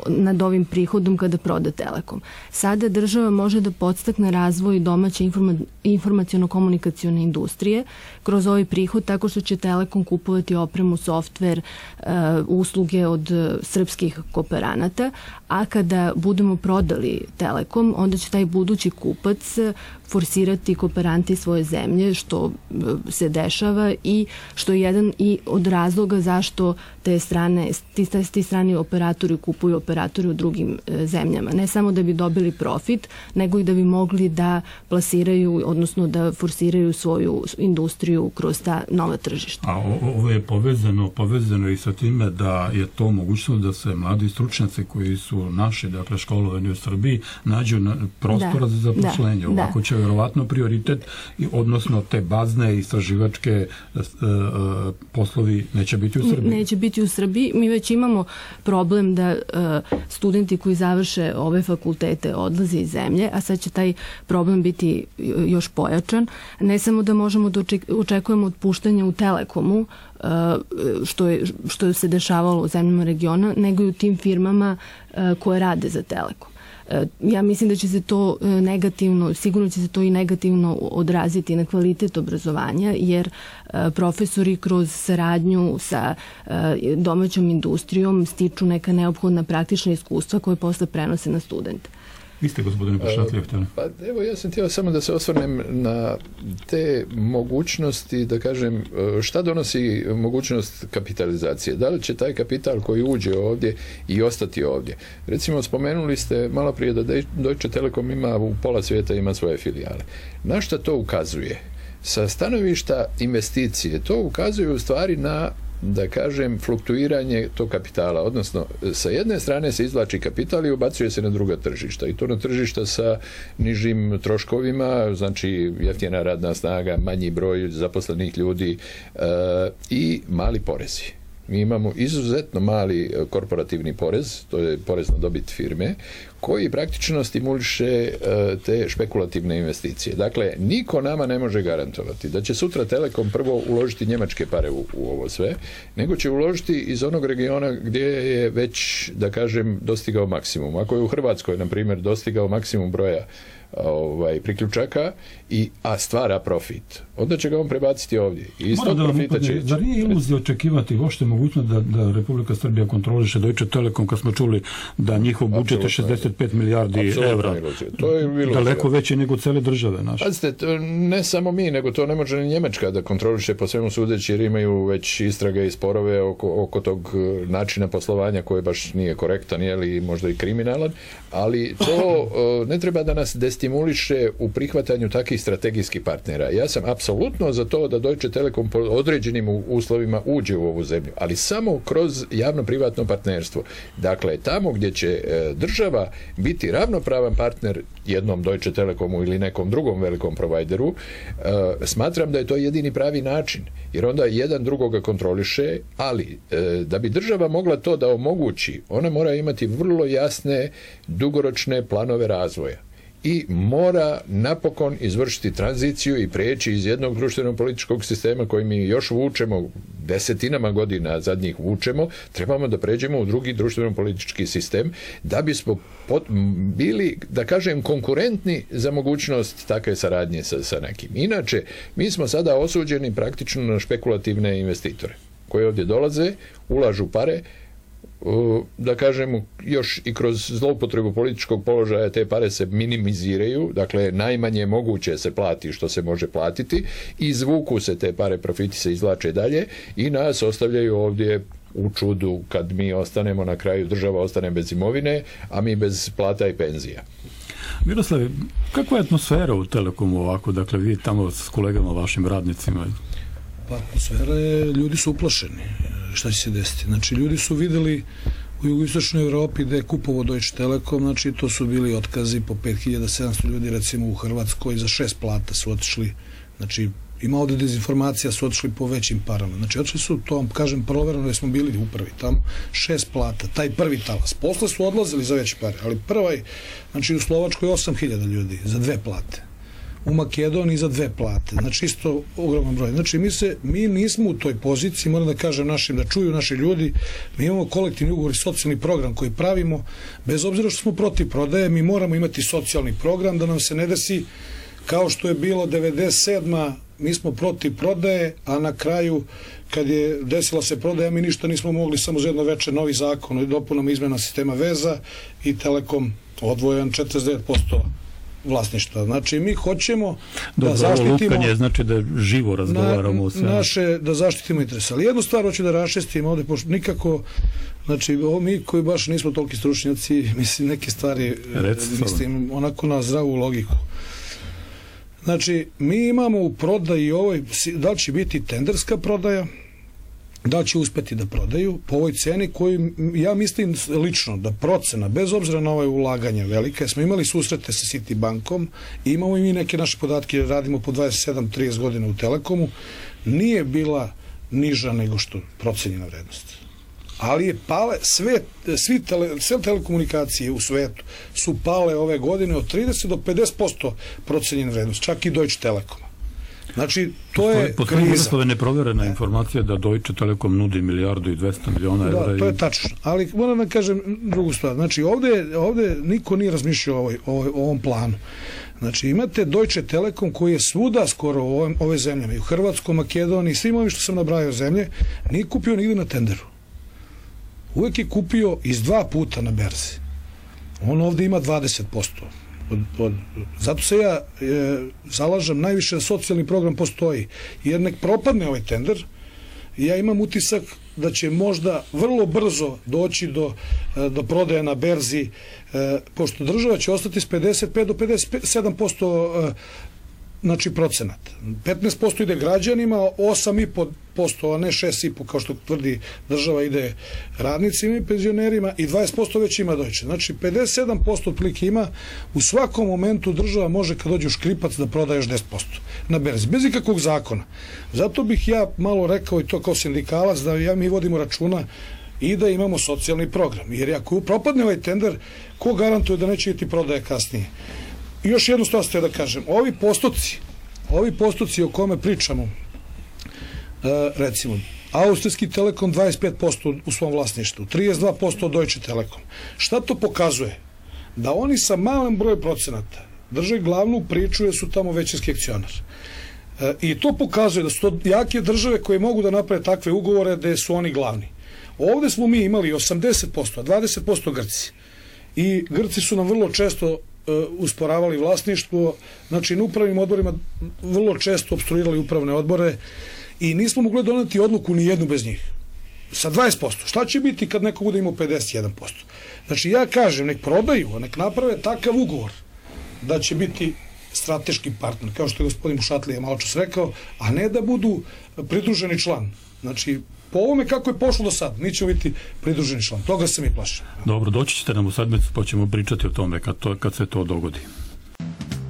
nad ovim prihodom kada proda Telekom. Sada država može da podstakne razvoj domaće informa, informaciono-komunikacione industrije kroz ovaj prihod tako što će Telekom kupovati opremu, softver, usluge od srpskih kooperanata, a kada budemo prodali Telekom, onda će taj budući kupac forsirati kooperante iz svoje zemlje, što se dešava i što je jedan i od razloga zašto te strane, ti, ti strani operatori kupuju operatori u drugim e, zemljama. Ne samo da bi dobili profit, nego i da bi mogli da plasiraju, odnosno da forsiraju svoju industriju kroz ta nova tržišta. A ovo je povezano, povezano i sa time da je to mogućnost da se mladi stručnjaci koji su naši, dakle, školovani u Srbiji, nađu na prostora da, za zaposlenje. Da, Ovako da. će vjerovatno prioritet, odnosno te bazne istraživačke e, e, poslovi neće biti u Srbiji. Neće biti u Srbiji. Mi već imamo problem da da studenti koji završe ove fakultete odlaze iz zemlje, a sad će taj problem biti još pojačan. Ne samo da možemo da očekujemo otpuštanje u Telekomu, što, je, što se dešavalo u zemljama regiona, nego i u tim firmama koje rade za Telekom. Ja mislim da će se to negativno, sigurno će se to i negativno odraziti na kvalitet obrazovanja, jer profesori kroz saradnju sa domaćom industrijom stiču neka neophodna praktična iskustva koje posle prenose na studente. Vi ste, gospodine Pašatlija, htjeli? Pa evo, ja sam htio samo da se osvrnem na te mogućnosti, da kažem, šta donosi mogućnost kapitalizacije. Da li će taj kapital koji uđe ovdje i ostati ovdje? Recimo, spomenuli ste malo prije da Deutsche Telekom ima u pola svijeta ima svoje filijale. Na šta to ukazuje? Sa stanovišta investicije to ukazuje u stvari na, da kažem, fluktuiranje tog kapitala, odnosno sa jedne strane se izvlači kapital i ubacuje se na druga tržišta, i to na tržišta sa nižim troškovima, znači jeftina radna snaga, manji broj zaposlenih ljudi e, i mali porezi. Mi imamo izuzetno mali korporativni porez, to je porez na dobit firme, koji praktično stimuliše te špekulativne investicije. Dakle, niko nama ne može garantovati da će sutra Telekom prvo uložiti njemačke pare u, u ovo sve, nego će uložiti iz onog regiona gdje je već, da kažem, dostigao maksimum. Ako je u Hrvatskoj, na primjer, dostigao maksimum broja ovaj, priključaka, i, a stvara profit, onda će ga on prebaciti ovdje. I iz tog profita će ići. Zar nije iluzija očekivati uopšte mogućnost da, da Republika Srbija kontroliše Deutsche Telekom, kad smo čuli da njihov budžet je šezdeset pet milijardi evra. To je iluzija. Daleko veće nego cele države naše. Pazite, ne samo mi, nego to ne može ni Njemačka da kontroliše po svemu sudeći, jer imaju već istrage i sporove oko, oko tog načina poslovanja koji baš nije korektan, ili možda i kriminalan, ali to ne treba da nas destimuliše u prihvatanju takvih strategijskih partnera. Ja sam apsolutno za to da Deutsche Telekom po određenim uslovima uđe u ovu zemlju, ali samo kroz javno-privatno partnerstvo. Dakle, tamo gdje će država biti ravnopravan partner jednom Deutsche Telekomu ili nekom drugom velikom provideru, smatram da je to jedini pravi način, jer onda jedan drugoga kontroliše, ali da bi država mogla to da omogući, ona mora imati vrlo jasne dugoročne planove razvoja i mora napokon izvršiti tranziciju i preći iz jednog društveno-političkog sistema koji mi još vučemo, desetinama godina zadnjih vučemo, trebamo da pređemo u drugi društveno-politički sistem da bismo pot, bili, da kažem, konkurentni za mogućnost takve saradnje sa, sa nekim. Inače, mi smo sada osuđeni praktično na špekulativne investitore koji ovdje dolaze, ulažu pare, da kažemo, još i kroz zloupotrebu političkog položaja te pare se minimiziraju, dakle najmanje moguće se plati što se može platiti, izvuku se te pare, profiti se izvlače dalje i nas ostavljaju ovdje u čudu kad mi ostanemo, na kraju država ostane bez imovine, a mi bez plata i penzija. Miroslav, kakva je atmosfera u Telekomu ovako, dakle vi tamo s kolegama, vašim radnicima? Pa atmosfera je, ljudi su uplašeni šta će se desiti. Znači, ljudi su videli u jugoistočnoj Evropi da je kupovao Deutsche Telekom, znači to su bili otkazi po pet hiljada sedamsto ljudi, recimo u Hrvatskoj za šest plata su otišli, znači ima ovdje dezinformacija, su otišli po većim parama. Znači, otišli su, to vam kažem, provereno, jer smo bili u prvi tamo, šest plata, taj prvi talas. Posle su odlazili za veće pare, ali prvaj, znači u Slovačkoj osam hiljada ljudi za dve plate. U Makedoniji za dve plate, znači isto ogroman broj. Znači mi se, mi nismo u toj poziciji, moram da kažem našim, da čuju naši ljudi, mi imamo kolektivni ugovor i socijalni program koji pravimo, bez obzira što smo protiv prodaje, mi moramo imati socijalni program da nam se ne desi kao što je bilo devedeset sedma mi smo protiv prodaje, a na kraju kad je desila se prodaja, mi ništa nismo mogli, samo za jedno veče novi zakon i dopunom izmena sistema veza i Telekom odvojen četrdeset devet posto vlasništva. Znači, mi hoćemo Dobro, da zaštitimo... lupanje znači da živo razgovaramo o sve. Naše, da zaštitimo interes. Ali jednu stvar hoću da raščistim ovdje, pošto nikako, znači, ovo mi koji baš nismo toliki stručnjaci, mislim, neke stvari, Recimo. mislim, onako na zdravu logiku. Znači, mi imamo u prodaji ovoj, da li će biti tenderska prodaja, da li će uspeti da prodaju po ovoj ceni koju ja mislim lično da procena, bez obzira na ove ulaganja velike, smo imali susrete sa Citibankom i imamo i mi neke naše podatke, radimo po dvadeset sedam trideset godina u Telekomu, nije bila niža nego što procenjena vrednost. ali je pale sve, svi tele, sve telekomunikacije u svetu su pale ove godine od trideset do pedeset posto procenjene vrednosti, čak i Deutsche Telekom. Znači, to je postoji kriza. Postoji neproverena informacija da Deutsche Telekom nudi milijardu i dvesta miliona evra. Da, to je tačno. Ali moram da kažem drugu stvar. Znači, ovde, ovde niko nije razmišljao o, ovoj, o, o ovom planu. Znači, imate Deutsche Telekom koji je svuda skoro u ove, ove zemljama, i u Hrvatskoj, Makedoniji, svim ovim što sam nabrajao zemlje, nije kupio nigde na tenderu. Uvek je kupio iz dva puta na berzi. On ovde ima dvadeset posto. Od, od, zato se ja e, zalažem najviše da socijalni program postoji, jer nek propadne ovaj tender, ja imam utisak da će možda vrlo brzo doći do, do prodaje na berzi, e, pošto država će ostati s pedeset pet do pedeset sedam posto e, znači procenat. petnaest posto ide građanima, osam i po posto, a ne šest i po kao što tvrdi država, ide radnicima i penzionerima, i dvadeset posto već ima Deutsche. Znači pedeset sedam posto otprilike ima. U svakom momentu država može, kad dođe u škripac, da prodaje još deset posto na berzi, bez ikakvog zakona. Zato bih ja malo rekao, i to kao sindikalac, da ja mi vodimo računa i da imamo socijalni program. Jer ako propadne ovaj tender, ko garantuje da neće biti prodaje kasnije? I još jednu stvar ste da kažem, ovi postoci, ovi postoci o kome pričamo, recimo, Austrijski Telekom dvadeset pet posto u svom vlasništvu, trideset dva posto Deutsche Telekom. Šta to pokazuje? Da oni sa malim brojem procenata drže glavnu priču, jer su tamo većinski akcionar. I to pokazuje da su to jake države koje mogu da naprave takve ugovore gde su oni glavni. Ovde smo mi imali osamdeset posto, a dvadeset posto Grci. I Grci su nam vrlo često usporavali vlasništvo, znači na upravnim odborima vrlo često opstruirali upravne odbore i nismo mogli doneti odluku ni jednu bez njih. Sa dvadeset posto. Šta će biti kad neko bude imao pedeset jedan posto? Znači ja kažem, nek prodaju, nek naprave takav ugovor da će biti strateški partner, kao što je gospodin Mušatlija malo čas rekao, a ne da budu pridruženi član. Znači, po ovome kako je pošlo do sad, mi ćemo biti pridruženi član. Toga se mi plaši. Dobro, doći ćete nam u sedmicu, pa ćemo pričati o tome kad, to, kad se to dogodi.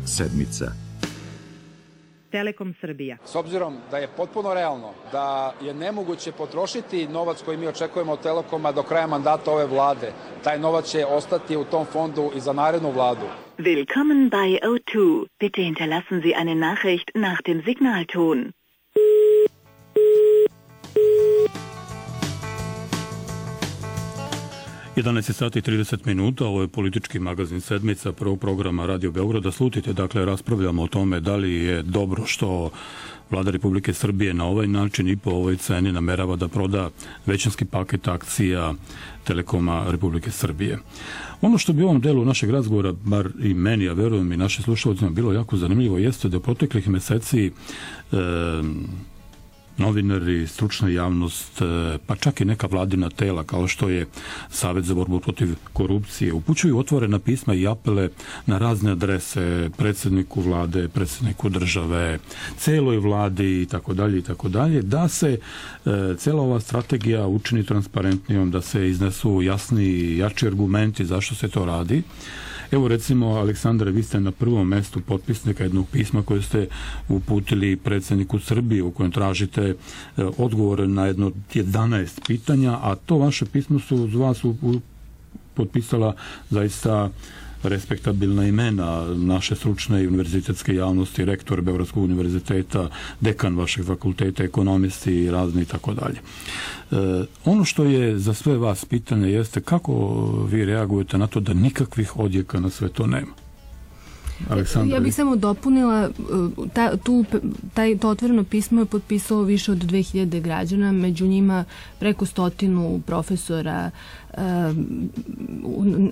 Sedmica. Telekom Srbija. S obzirom da je potpuno realno da je nemoguće potrošiti novac koji mi očekujemo od Telekoma do kraja mandata ove vlade, taj novac će ostati u tom fondu i za narednu vladu. Willkommen bei O dva. Bitte hinterlassen Sie eine Nachricht nach dem Signalton. jedanaest sati i trideset minuta, ovo je politički magazin Sedmica prvog programa Radio Beograda. Slutite, dakle, raspravljamo o tome da li je dobro što Vlada Republike Srbije na ovaj način i po ovoj ceni namerava da proda većinski paket akcija Telekoma Republike Srbije. Ono što bi u ovom delu našeg razgovora, bar i meni, a verujem i našim slušalcima, bilo jako zanimljivo, jeste da u proteklih meseci e, novinari, stručna javnost, pa čak i neka vladina tela kao što je Savet za borbu protiv korupcije, upućuju otvorena pisma i apele na razne adrese predsjedniku vlade, predsjedniku države, celoj vladi i tako dalje i tako dalje, da se e, cela ova strategija učini transparentnijom, da se iznesu jasni i jači argumenti zašto se to radi. Evo recimo, Aleksandre, vi ste na prvom mestu potpisnika jednog pisma koje ste uputili predsjedniku Srbije u kojem tražite odgovore na jedno jedanaest pitanja, a to vaše pismo su uz vas potpisala zaista respektabilna imena naše stručne i univerzitetske javnosti, rektor Beogradskog univerziteta, dekan vašeg fakulteta, ekonomisti i razni i tako dalje. Ono što je za sve vas pitanje jeste kako vi reagujete na to da nikakvih odjeka na sve to nema? Aleksandra, ja bih samo dopunila, ta, tu, taj, to otvoreno pismo je potpisalo više od dve hiljade građana, među njima preko stotinu profesora,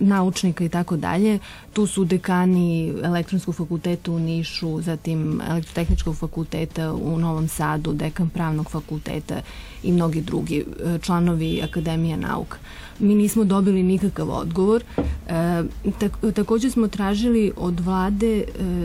naučnika i tako dalje. Tu su dekani Elektronskog fakulteta u Nišu, zatim Elektrotehničkog fakulteta u Novom Sadu, dekan Pravnog fakulteta i mnogi drugi članovi Akademije nauka. Mi nismo dobili nikakav odgovor. E, tak, također smo tražili od vlade vlade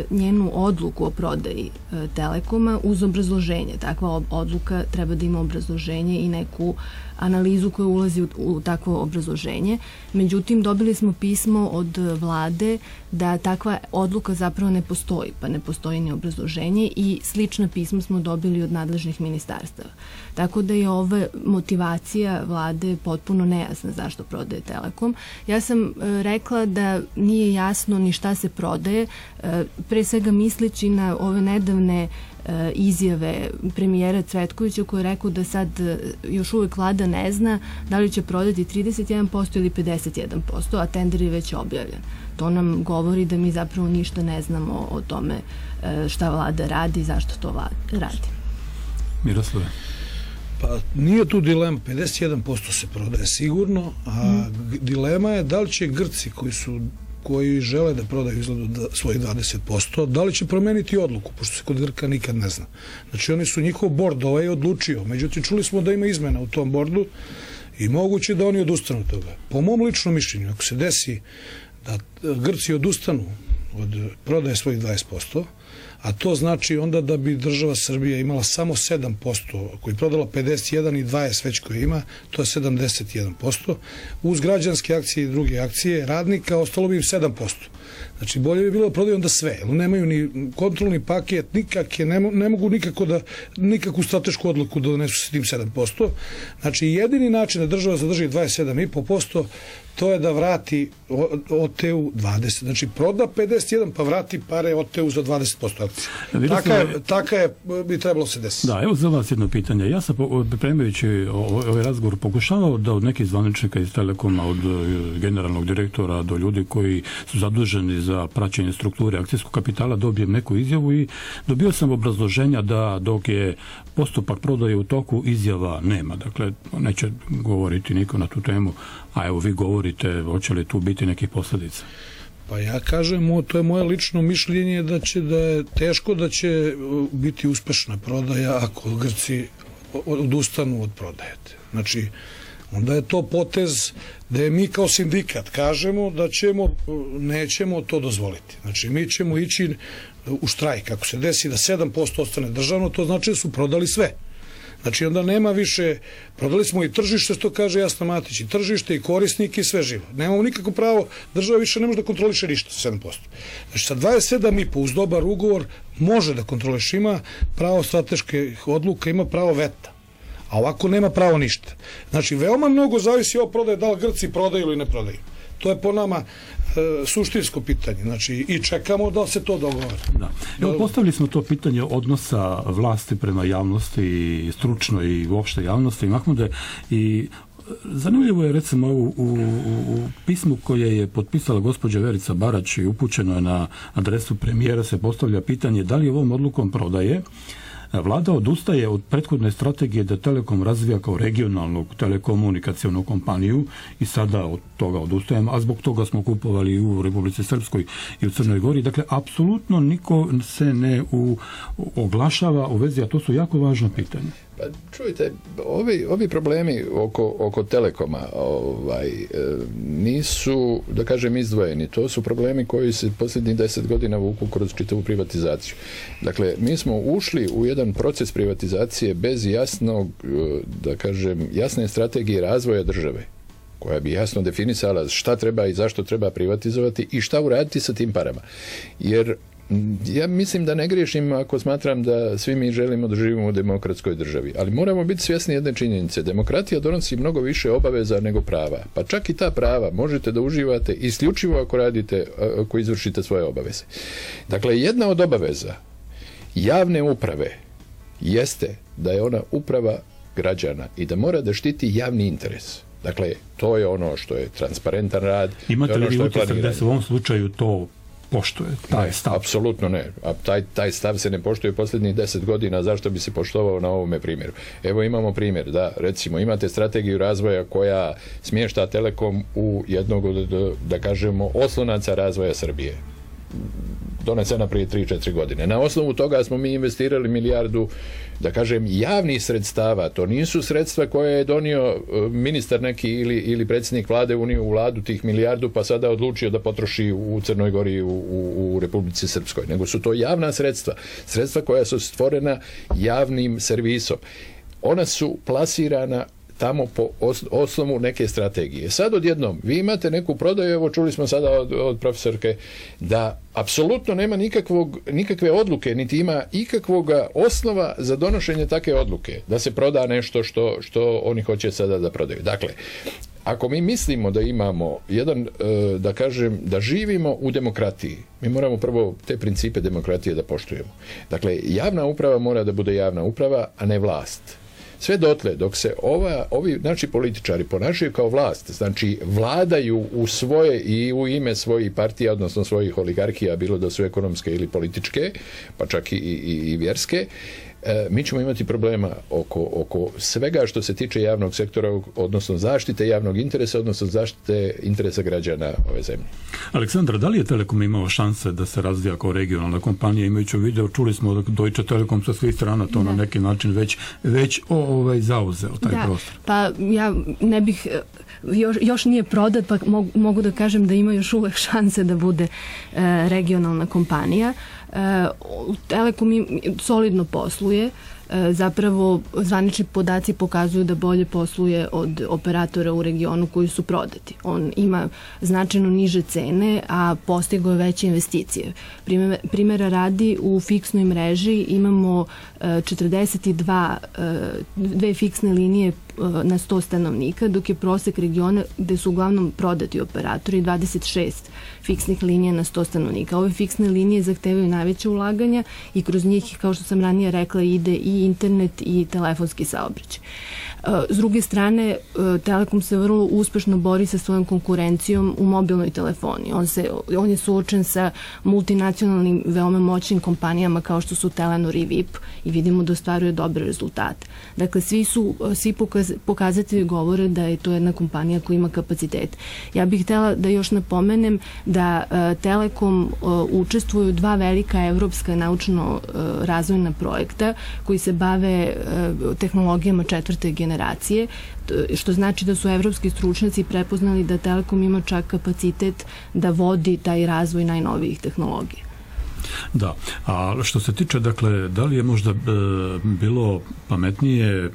njenu odluku o prodaji Telekoma uz obrazloženje. Takva odluka treba da ima obrazloženje i neku analizu koja ulazi u, u takvo obrazloženje. Međutim, dobili smo pismo od vlade da takva odluka zapravo ne postoji, pa ne postoji ni obrazloženje i slična pisma smo dobili od nadležnih ministarstava. Tako da je ova motivacija vlade potpuno nejasna zašto prodaje Telekom. Ja sam e, rekla da nije jasno ni šta se prodaje, e, pre svega misleći na ove nedavne izjave premijera Cvetkovića koji je rekao da sad još uvijek vlada ne zna da li će prodati trideset jedan posto ili pedeset jedan posto, a tender je već objavljen. To nam govori da mi zapravo ništa ne znamo o tome šta vlada radi i zašto to vlada radi. Miroslave? Pa nije tu dilema, pedeset jedan posto se prodaje sigurno, a mm. dilema je da li će Grci koji su koji žele da prodaju izgledu da, svojih dvadeset posto, da li će promeniti odluku, pošto se kod Grka nikad ne zna. Znači oni su, njihov bord ovaj odlučio, međutim čuli smo da ima izmena u tom bordu i moguće da oni odustanu od toga. Po mom ličnom mišljenju, ako se desi da Grci odustanu od prodaje svojih dvadeset posto, a to znači onda da bi država Srbija imala samo sedam posto, ako je prodala pedeset jedan i dvadeset već koje ima, to je sedamdeset jedan posto, uz građanske akcije i druge akcije radnika ostalo bi im sedam posto. Znači bolje bi bilo da prodaju onda sve, jer nemaju ni kontrolni paket, nikakve, ne, ne mogu nikako da, nikakvu stratešku odluku da donesu sa tim sedam posto. Znači jedini način da država zadrži dvadeset sedam zarez pet posto to je da vrati O T U dvadeset. Znači proda pedeset jedan pa vrati pare O T U za dvadeset posto akcija. Taka je, taka je, bi trebalo se desiti. Da, evo za vas jedno pitanje. Ja sam pripremajući ovaj razgovor pokušavao da od nekih zvaničnika iz Telekoma, od generalnog direktora do ljudi koji su zaduženi za praćenje strukture akcijskog kapitala dobijem neku izjavu i dobio sam obrazloženja da dok je postupak prodaje u toku izjava nema. Dakle, neće govoriti niko na tu temu, a evo vi govorite, hoće li tu biti nekih posljedica? Pa ja kažem, to je moje lično mišljenje da će da je teško da će biti uspešna prodaja ako Grci odustanu od prodaje. Znači, onda je to potez da je mi kao sindikat kažemo da ćemo, nećemo to dozvoliti. Znači, mi ćemo ići u štrajk. Ako se desi da sedam posto ostane državno, to znači da su prodali sve. Znači, onda nema više, prodali smo i tržište, što kaže Jasna Matić, i tržište, i korisnike, i sve živo. Nemamo nikako pravo, država više ne može da kontroliše ništa sa sedam posto. Znači, sa dvadeset sedam zarez pet uz dobar ugovor može da kontroliše, ima pravo strateških odluka, ima pravo veta. A ovako nema pravo ništa. Znači, veoma mnogo zavisi od prodaje, da li Grci prodaju ili ne prodaju. To je po nama e, suštinsko pitanje. Znači, i čekamo da se to dogovori. Da. Evo, postavili smo to pitanje odnosa vlasti prema javnosti, stručno i uopšte javnosti, Mahmude, i zanimljivo je recimo u, u, u pismu koje je potpisala gospođa Verica Barać i upućeno je na adresu premijera, se postavlja pitanje da li ovom odlukom prodaje Vlada odustaje od prethodne strategije da Telekom razvija kao regionalnu telekomunikacijonu kompaniju i sada od toga odustajemo, a zbog toga smo kupovali i u Republici Srpskoj i u Crnoj Gori. Dakle, apsolutno niko se ne u, oglašava u vezi, a to su jako važna pitanja. Pa čujte, ovi, ovi problemi oko, oko Telekoma ovaj, nisu, da kažem, izdvojeni. To su problemi koji se posljednjih deset godina vuku kroz čitavu privatizaciju. Dakle, mi smo ušli u jedan proces privatizacije bez jasnog, da kažem, jasne strategije razvoja države, koja bi jasno definisala šta treba i zašto treba privatizovati i šta uraditi sa tim parama. Jer ja mislim da ne griješim ako smatram da svi mi želimo da živimo u demokratskoj državi, ali moramo biti svjesni jedne činjenice. Demokratija donosi mnogo više obaveza nego prava, pa čak i ta prava možete da uživate isključivo ako radite, ako izvršite svoje obaveze. Dakle, jedna od obaveza javne uprave jeste da je ona uprava građana i da mora da štiti javni interes. Dakle, to je ono što je transparentan rad. Imate ono li utisak da se u ovom slučaju to poštuje, taj ne, stav? Apsolutno ne. A taj, taj stav se ne poštuje posljednjih deset godina, zašto bi se poštovao na ovome primjeru? Evo imamo primjer, da, recimo, imate strategiju razvoja koja smješta Telekom u jednog od, da kažemo, oslonaca razvoja Srbije. donesena prije tri četiri godine. Na osnovu toga smo mi investirali milijardu, da kažem, javnih sredstava. To nisu sredstva koje je donio ministar neki ili, ili predsjednik vlade unio u vladu tih milijardu pa sada odlučio da potroši u Crnoj Gori i u, u, u Republici Srpskoj. Nego su to javna sredstva. Sredstva koja su stvorena javnim servisom. Ona su plasirana tamo po osnovu neke strategije. Sad odjednom, vi imate neku prodaju, evo čuli smo sada od, od profesorke, da apsolutno nema nikakvog, nikakve odluke, niti ima ikakvog osnova za donošenje take odluke, da se proda nešto što, što oni hoće sada da prodaju. Dakle, ako mi mislimo da imamo jedan, da kažem, da živimo u demokratiji, mi moramo prvo te principe demokratije da poštujemo. Dakle, javna uprava mora da bude javna uprava, a ne vlast. Sve dotle, dok se ova, ovi znači političari ponašaju kao vlast, znači vladaju u svoje i u ime svojih partija, odnosno svojih oligarhija, bilo da su ekonomske ili političke, pa čak i, i, i vjerske, e, mi ćemo imati problema oko, oko svega što se tiče javnog sektora, odnosno zaštite javnog interesa, odnosno zaštite interesa građana ove zemlje. Aleksandra, da li je Telekom imao šanse da se razvija kao regionalna kompanija, imajući u video, čuli smo da Deutsche Telekom sa svih strana to da. na neki način već, već ovaj, zauzeo taj da. prostor. Pa ja ne bih, još, još nije prodat, pa mogu, mogu da kažem da ima još uvek šanse da bude e, regionalna kompanija. E, Telekom solidno posluje, zapravo zvanični podaci pokazuju da bolje posluje od operatora u regionu koji su prodati. On ima značajno niže cene, a postigao je veće investicije. Primjera radi, u fiksnoj mreži imamo četrdeset dva dve fiksne linije na sto stanovnika, dok je prosek regiona gde su uglavnom prodati operatori dvadeset šest fiksnih linija na sto stanovnika. Ove fiksne linije zahtevaju najveće ulaganja i kroz njih, kao što sam ranije rekla, ide i internet i telefonski saobraćaj. S druge strane, Telekom se vrlo uspešno bori sa svojom konkurencijom u mobilnoj telefoniji. On, se, on je suočen sa multinacionalnim, veoma moćnim kompanijama kao što su Telenor i V I P i vidimo da ostvaruje dobre rezultate. Dakle, svi, su, svi pokaz, pokazatelji govore da je to jedna kompanija koja ima kapacitet. Ja bih htela da još napomenem da uh, Telekom uh, učestvuju dva velika evropska naučno-razvojna uh, projekta koji se bave uh, tehnologijama četvrte generacije, što znači da su evropski stručnjaci prepoznali da Telekom ima čak kapacitet da vodi taj razvoj najnovijih tehnologija. Da, a što se tiče, dakle, da li je možda e, bilo pametnije e,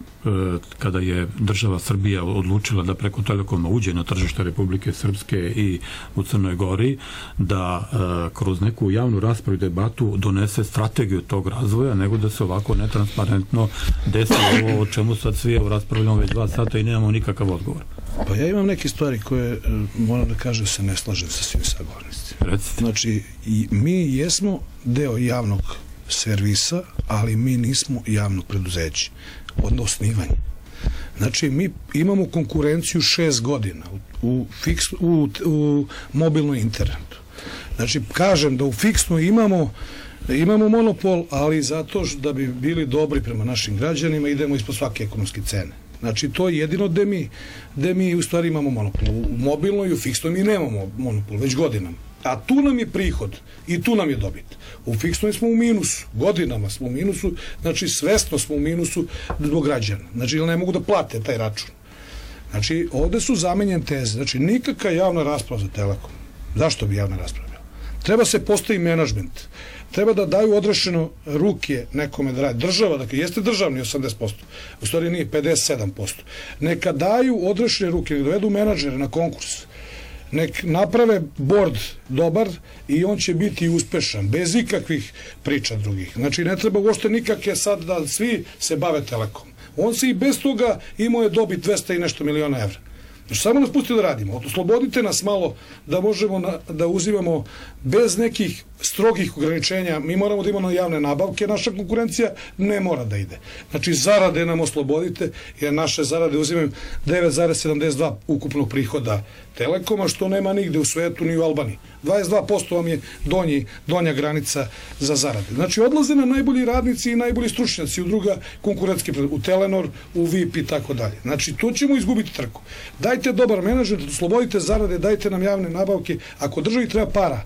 kada je država Srbija odlučila da preko Telekoma uđe na tržište Republike Srpske i u Crnoj Gori, da e, kroz neku javnu raspravu i debatu donese strategiju tog razvoja, nego da se ovako netransparentno desi ovo o čemu sad svi raspravljamo već dva sata i nemamo nikakav odgovor? Pa ja imam neke stvari koje, moram da kažem, se ne slažem sa svim sagovornicima. Recite. Znači, i mi jesmo deo javnog servisa, ali mi nismo javno preduzeće od osnivanja. Znači, mi imamo konkurenciju šest godina u, u, fiks, u, u mobilnom internetu. Znači, kažem da u fiksno imamo imamo monopol, ali zato da bi bili dobri prema našim građanima idemo ispod svake ekonomske cene. Znači, to je jedino gde mi, gde mi u stvari imamo monopol. U mobilnoj i u fiksnoj mi nemamo monopol, već godinama. A tu nam je prihod i tu nam je dobit. U fiksnoj smo u minusu, godinama smo u minusu, znači svesno smo u minusu zbog građana. Znači, ne mogu da plate taj račun. Znači, ovde su zamenjene teze. Znači, nikakva javna rasprava za Telekom. Zašto bi javna rasprava bila? Treba se postavi menadžment. Treba da daju odrešeno ruke nekome da radi. Država, dakle, jeste državni osamdeset posto, u stvari nije, pedeset sedam posto. Neka daju odrešene ruke, nek dovedu menadžere na konkurs, nek naprave bord dobar i on će biti uspešan, bez ikakvih priča drugih. Znači, ne treba uopšte nikakve sad da svi se bave Telekom. On se i bez toga imao je dobit dvesta i nešto miliona evra. Znači, samo nas pustite da radimo. Oslobodite nas malo da možemo na, da uzimamo bez nekih strogih ograničenja. Mi moramo da imamo javne nabavke, naša konkurencija ne mora da ide. Znači, zarade nam oslobodite, jer naše zarade uzimaju devet zarez sedamdeset dva ukupnog prihoda Telekoma, što nema nigde u svetu ni u Albaniji. dvadeset dva posto vam je donji, donja granica za zarade. Znači, odlaze na najbolji radnici i najbolji stručnjaci u druga konkurentske, u Telenor, u V I P i tako dalje. Znači, tu ćemo izgubiti trku. Dajte dobar menadžer, oslobodite zarade, dajte nam javne nabavke. Ako državi treba para,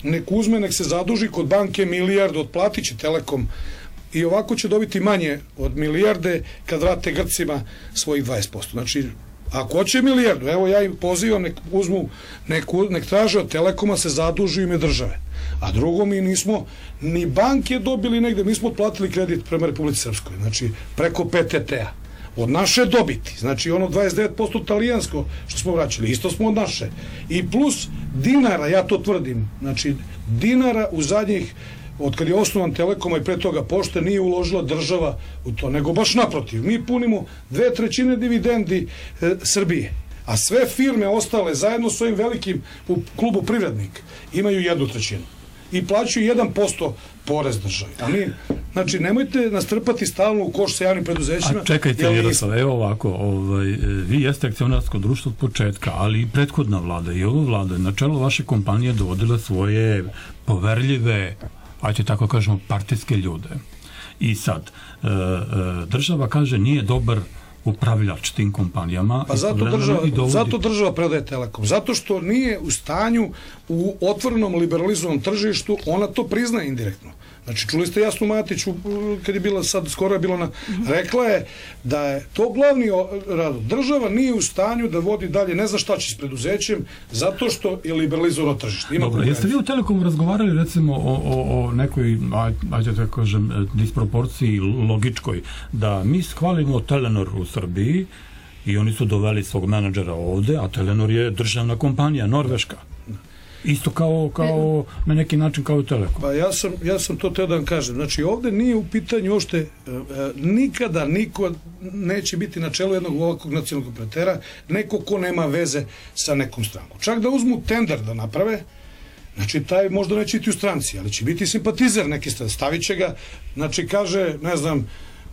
nek uzme, nek se zaduži kod banke milijardu, otplatit će Telekom i ovako će dobiti manje od milijarde kad vrate Grcima svojih dvadeset posto. Znači, ako hoće milijardu, evo ja im pozivam, nek uzmu, nek, nek traže od Telekoma se zaduži ime države. A drugo, mi nismo ni banke dobili negde, mi smo otplatili kredit prema Republici Srpskoj, znači preko P T T-a. Od naše dobiti, znači ono dvadeset devet posto talijansko što smo vraćali, isto smo od naše. I plus dinara, ja to tvrdim, znači dinara u zadnjih, od kad je osnovan Telekoma i pre toga Pošte, nije uložila država u to, nego baš naprotiv. Mi punimo dve trećine dividendi e, Srbije, a sve firme ostale zajedno s ovim velikim u klubu Privrednik imaju jednu trećinu i plaćaju jedan posto porez državi. A mi, znači, nemojte nas trpati stalno u koš sa javnim preduzećima. A čekajte, Miroslav, evo ovako, ovaj, vi jeste akcionarsko društvo od početka, ali i prethodna vlada i ova vlada na čelo vaše kompanije dovodila svoje poverljive, ajte tako kažemo, partijske ljude. I sad, e, e, država kaže nije dobar upravljač tim kompanijama. Pa zato država, dovodi... zato država predaje Telekom. Zato što nije u stanju u otvorenom liberalizovanom tržištu, ona to priznaje indirektno. Znači, čuli ste Jasnu Matiću, kad je bila sad, skoro je bilo na... Rekla je da je to glavni razlog. Država nije u stanju da vodi dalje, ne zna šta će s preduzećem, zato što je liberalizovano tržište. Ima Dobro, jeste vi u Telekomu razgovarali, recimo, o, o, o nekoj, ajde da kažem, disproporciji logičkoj, da mi shvalimo Telenor u Srbiji i oni su doveli svog menadžera ovde, a Telenor je državna kompanija, norveška. Isto kao, kao na neki način kao i Telekom. Pa ja sam, ja sam to teo da vam kažem. Znači, ovde nije u pitanju uopšte, e, nikada niko neće biti na čelu jednog ovakvog nacionalnog operatera, neko ko nema veze sa nekom strankom. Čak da uzmu tender da naprave, znači, taj možda neće biti u stranci, ali će biti simpatizer neki strani. Stavit će ga, znači, kaže, ne znam,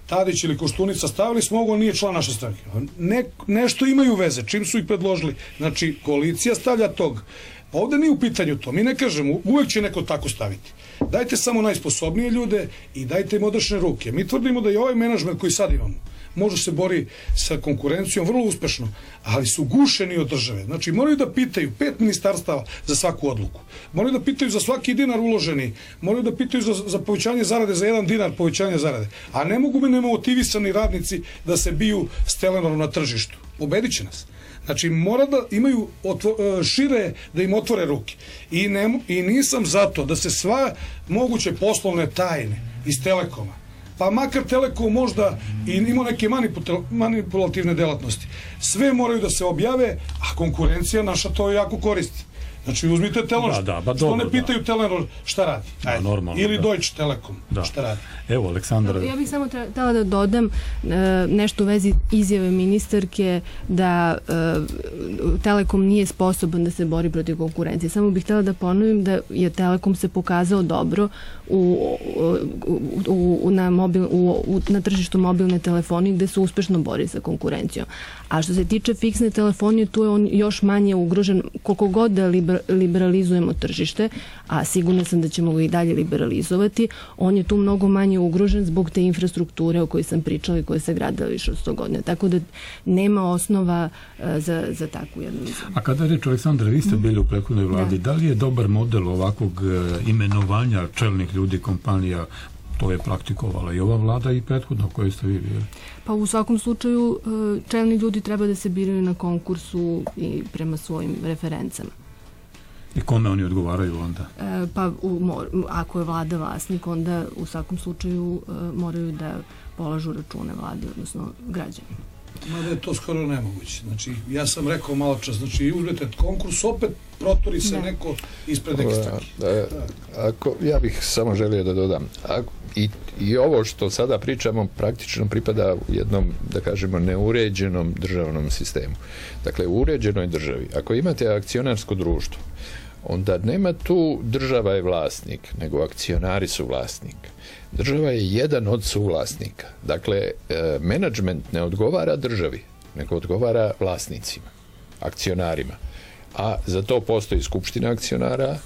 Tadić ili Koštunica, stavili smo ovo, nije član naše stranke. Ne, nešto imaju veze, čim su ih predložili. Znači, koalicija stavlja tog. Ovde nije u pitanju to. Mi ne kažemo, uvek će neko tako staviti. Dajte samo najsposobnije ljude i dajte im odrešene ruke. Mi tvrdimo da i ovaj menadžment koji sad imamo može se bori sa konkurencijom vrlo uspešno, ali su gušeni od države. Znači, moraju da pitaju pet ministarstava za svaku odluku. Moraju da pitaju za svaki dinar uloženi. Moraju da pitaju za, za povećanje zarade, za jedan dinar povećanja zarade. A ne mogu mi nemotivisani radnici da se biju s Telenorom na tržištu. Ubedit će nas. Znači, mora da imaju otvo, šire, da im otvore ruke. I, ne, I nisam zato da se sva moguće poslovne tajne iz Telekoma, pa makar Telekom možda i ima neke manipulativne delatnosti, sve moraju da se objave, a konkurencija naša to jako koristi. Znači, uzmite Telenor, da, da, ba, što dobro, ne pitaju da. Telenor šta radi. Da, normalno, ili da. Deutsche Telekom da. Šta radi. Evo, Aleksandar... Ja bih samo htela da dodam e, nešto u vezi izjave ministarke da e, Telekom nije sposoban da se bori protiv konkurencije. Samo bih htela da ponovim da je Telekom se pokazao dobro u, u, u, na, mobil, u, u, na tržištu mobilne telefonije gde se uspešno bori sa konkurencijom. A što se tiče fiksne telefonije, tu je on još manje ugrožen, koliko god da liber, liberalizujemo tržište, a sigurno sam da ćemo ga i dalje liberalizovati, on je tu mnogo manje ugrožen zbog te infrastrukture o kojoj sam pričala i koja se gradila više od sto godina. Tako da nema osnova uh, za, za takvu jednu izjavu. A kada reč, Aleksandra, vi ste bili u prethodnoj vladi, da. da li je dobar model ovakvog uh, imenovanja čelnih ljudi kompanija? To je praktikovala i ova vlada i prethodno koje ste vi bili. Pa u svakom slučaju čelni ljudi treba da se biraju na konkursu i prema svojim referencama. I kome oni odgovaraju onda? E, pa u, ako je vlada vlasnik, onda u svakom slučaju e, moraju da polažu račune vladi, odnosno građani. Mada je to skoro nemoguće. Znači, ja sam rekao malo čas, znači, uzmete konkurs, opet protori se ne. neko ispred neke stranke. Ako, ja bih samo želio da dodam, ako, i, i ovo što sada pričamo praktično pripada u jednom, da kažemo, neuređenom državnom sistemu. Dakle, u uređenoj državi, ako imate akcionarsko društvo, onda nema tu država je vlasnik, nego akcionari su vlasnik. Država je jedan od suvlasnika. Dakle, e, menadžment ne odgovara državi, nego odgovara vlasnicima, akcionarima. A za to postoji skupština akcionara,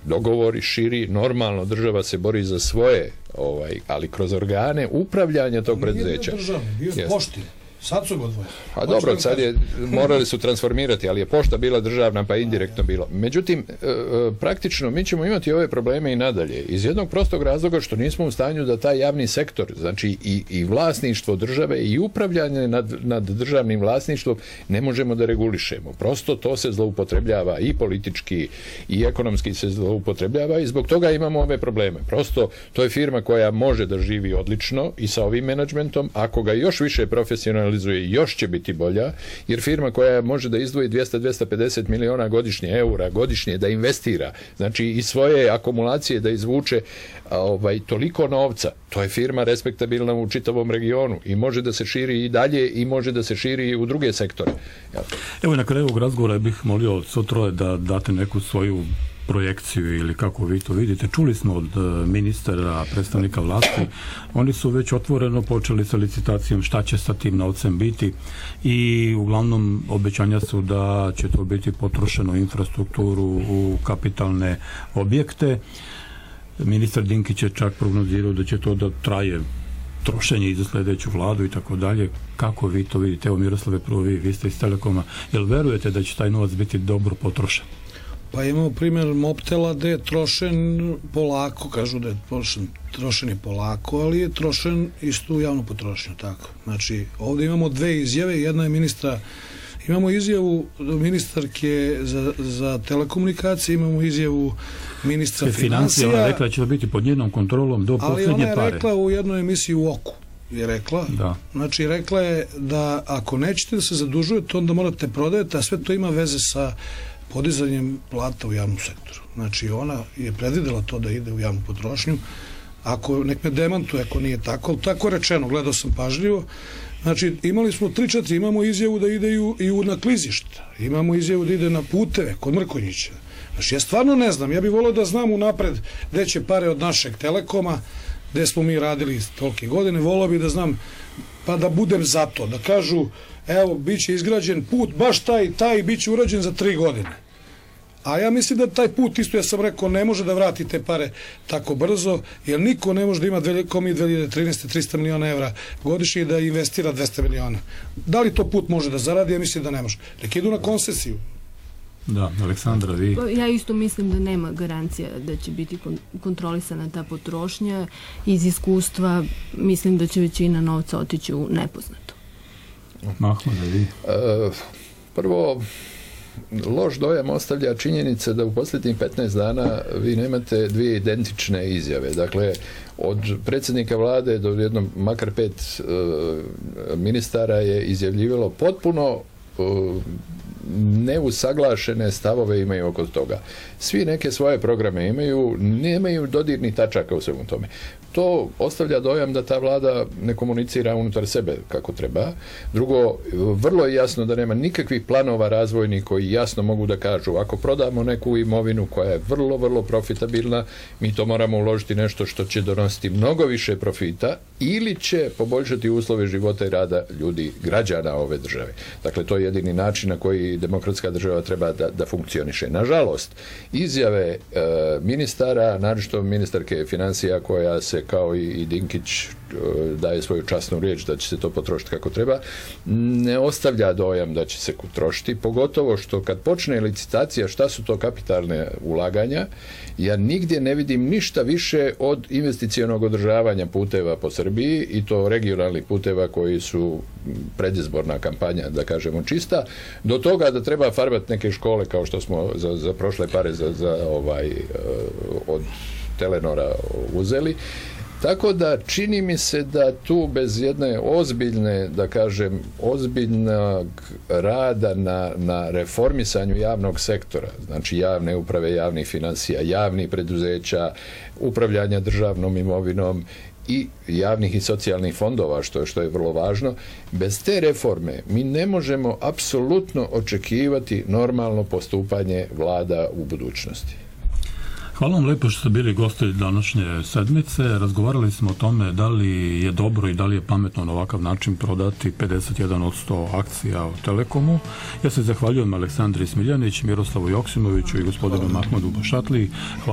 dogovori širi, normalno država se bori za svoje, ovaj, ali kroz organe upravljanja tog preduzeća. Nije državni, bio je Poštin. Sad su ga odvojili. A dobro, sad je, morali su transformirati, ali je pošta bila državna, pa indirektno bilo. Međutim, praktično mi ćemo imati ove probleme i nadalje. Iz jednog prostog razloga što nismo u stanju da taj javni sektor, znači i, i vlasništvo države i upravljanje nad, nad državnim vlasništvom ne možemo da regulišemo. Prosto to se zloupotrebljava i politički i ekonomski se zloupotrebljava i zbog toga imamo ove probleme. Prosto to je firma koja može da živi odlično i sa ovim menadžmentom, ako ga još više profesionalizuje, još će biti bolja, jer firma koja može da izdvoji dvjesto do dvjesto pedeset miliona godišnje, eura godišnje, da investira, znači i svoje akumulacije da izvuče ovaj, toliko novca, to je firma respektabilna u čitavom regionu i može da se širi i dalje i može da se širi i u druge sektore. Ja. Evo na kraju ovog razgovora bih molio svo troje da date neku svoju projekciju ili kako vi to vidite. Čuli smo od ministara, predstavnika vlasti, oni su već otvoreno počeli sa licitacijom šta će sa tim novcem biti i uglavnom obećanja su da će to biti potrošeno u infrastrukturu, u kapitalne objekte. Ministar Dinkić je čak prognozirao da će to da traje trošenje i za sljedeću vladu i tako dalje. Kako vi to vidite? Evo Miroslave, prvo vi, vi ste iz Telekoma. Jel verujete da će taj novac biti dobro potrošen? Pa imamo primjer Mobtela gde je trošen polako, kažu da je trošen, trošen je polako, ali je trošen isto u javnu potrošnju, tako. Znači, ovdje imamo dve izjave, jedna je ministra, imamo izjavu ministarke za, za telekomunikacije, imamo izjavu ministra financija. Ona je rekla da će biti pod njenom kontrolom do posljednje pare. Ali ona je rekla u jednoj emisiji u Oku, je rekla. Da. Znači, rekla je da ako nećete da se zadužujete, onda morate prodajete, a sve to ima veze sa podizanjem plata u javnom sektoru. Znači, ona je predvidela to da ide u javnu potrošnju. Ako, nek me demantuje, ako nije tako, ali tako rečeno, gledao sam pažljivo. Znači, imali smo tri četiri, imamo izjavu da ide i u na klizišta, imamo izjavu da ide na puteve, kod Mrkonjića. Znači, ja stvarno ne znam, ja bih volio da znam unapred gde će pare od našeg Telekoma, gde smo mi radili tolike godine, volio bih da znam, pa da budem za to, da kažu, evo, bit će izgrađen put, baš taj i taj, bit će urađen za tri godine. A ja mislim da taj put, isto ja sam rekao, ne može da vrati te pare tako brzo, jer niko ne može da ima ko mi dve hiljade trinaeste. trista miliona evra godišnje i da investira dvesta miliona. Da li to put može da zaradi? Ja mislim da ne može. Nek idu na koncesiju. Da, Aleksandra, vi? Ja isto mislim da nema garancija da će biti kontrolisana ta potrošnja. Iz iskustva mislim da će većina novca otići u nepoznato. Mahmo, da vi? Uh, prvo, loš dojam ostavlja činjenica da u posljednjih petnaest dana vi nemate dvije identične izjave. Dakle, od predsjednika vlade do jednom, makar pet uh, ministara je izjavljivalo potpuno uh, neusaglašene stavove imaju oko toga. Svi neke svoje programe imaju, nemaju dodirnih tačaka u svemu tome. To ostavlja dojam da ta vlada ne komunicira unutar sebe kako treba. Drugo, vrlo je jasno da nema nikakvih planova razvojnih koji jasno mogu da kažu ako prodamo neku imovinu koja je vrlo, vrlo profitabilna, mi to moramo uložiti nešto što će donositi mnogo više profita ili će poboljšati uslove života i rada ljudi, građana ove države. Dakle, to je jedini način na koji demokratska država treba da, da funkcioniše. Nažalost, izjave e, ministara, naročito ministarke financija koja se kao i, i Dinkić e, daje svoju časnu riječ da će se to potrošiti kako treba, ne ostavlja dojam da će se trošiti, pogotovo što kad počne licitacija šta su to kapitalne ulaganja, ja nigdje ne vidim ništa više od investicionog održavanja puteva po Srbiji i to regionalnih puteva koji su predizborna kampanja, da kažemo čista, do toga da treba farbati neke škole kao što smo za, za prošle pare za, za ovaj od Telenora uzeli. Tako da čini mi se da tu bez jedne ozbiljne, da kažem, ozbiljnog rada na, na reformisanju javnog sektora, znači javne uprave, javnih financija, javnih preduzeća, upravljanja državnom imovinom i javnih i socijalnih fondova, što je, što je vrlo važno, bez te reforme mi ne možemo apsolutno očekivati normalno postupanje vlada u budućnosti. Hvala vam lepo što ste bili gosti današnje sedmice. Razgovarali smo o tome da li je dobro i da li je pametno na ovakav način prodati pedeset jedan posto akcija u Telekomu. Ja se zahvaljujem Aleksandri Smiljanić, Miroslavu Joksimoviću i gospodinu Mahmudu Bašatli. Hvala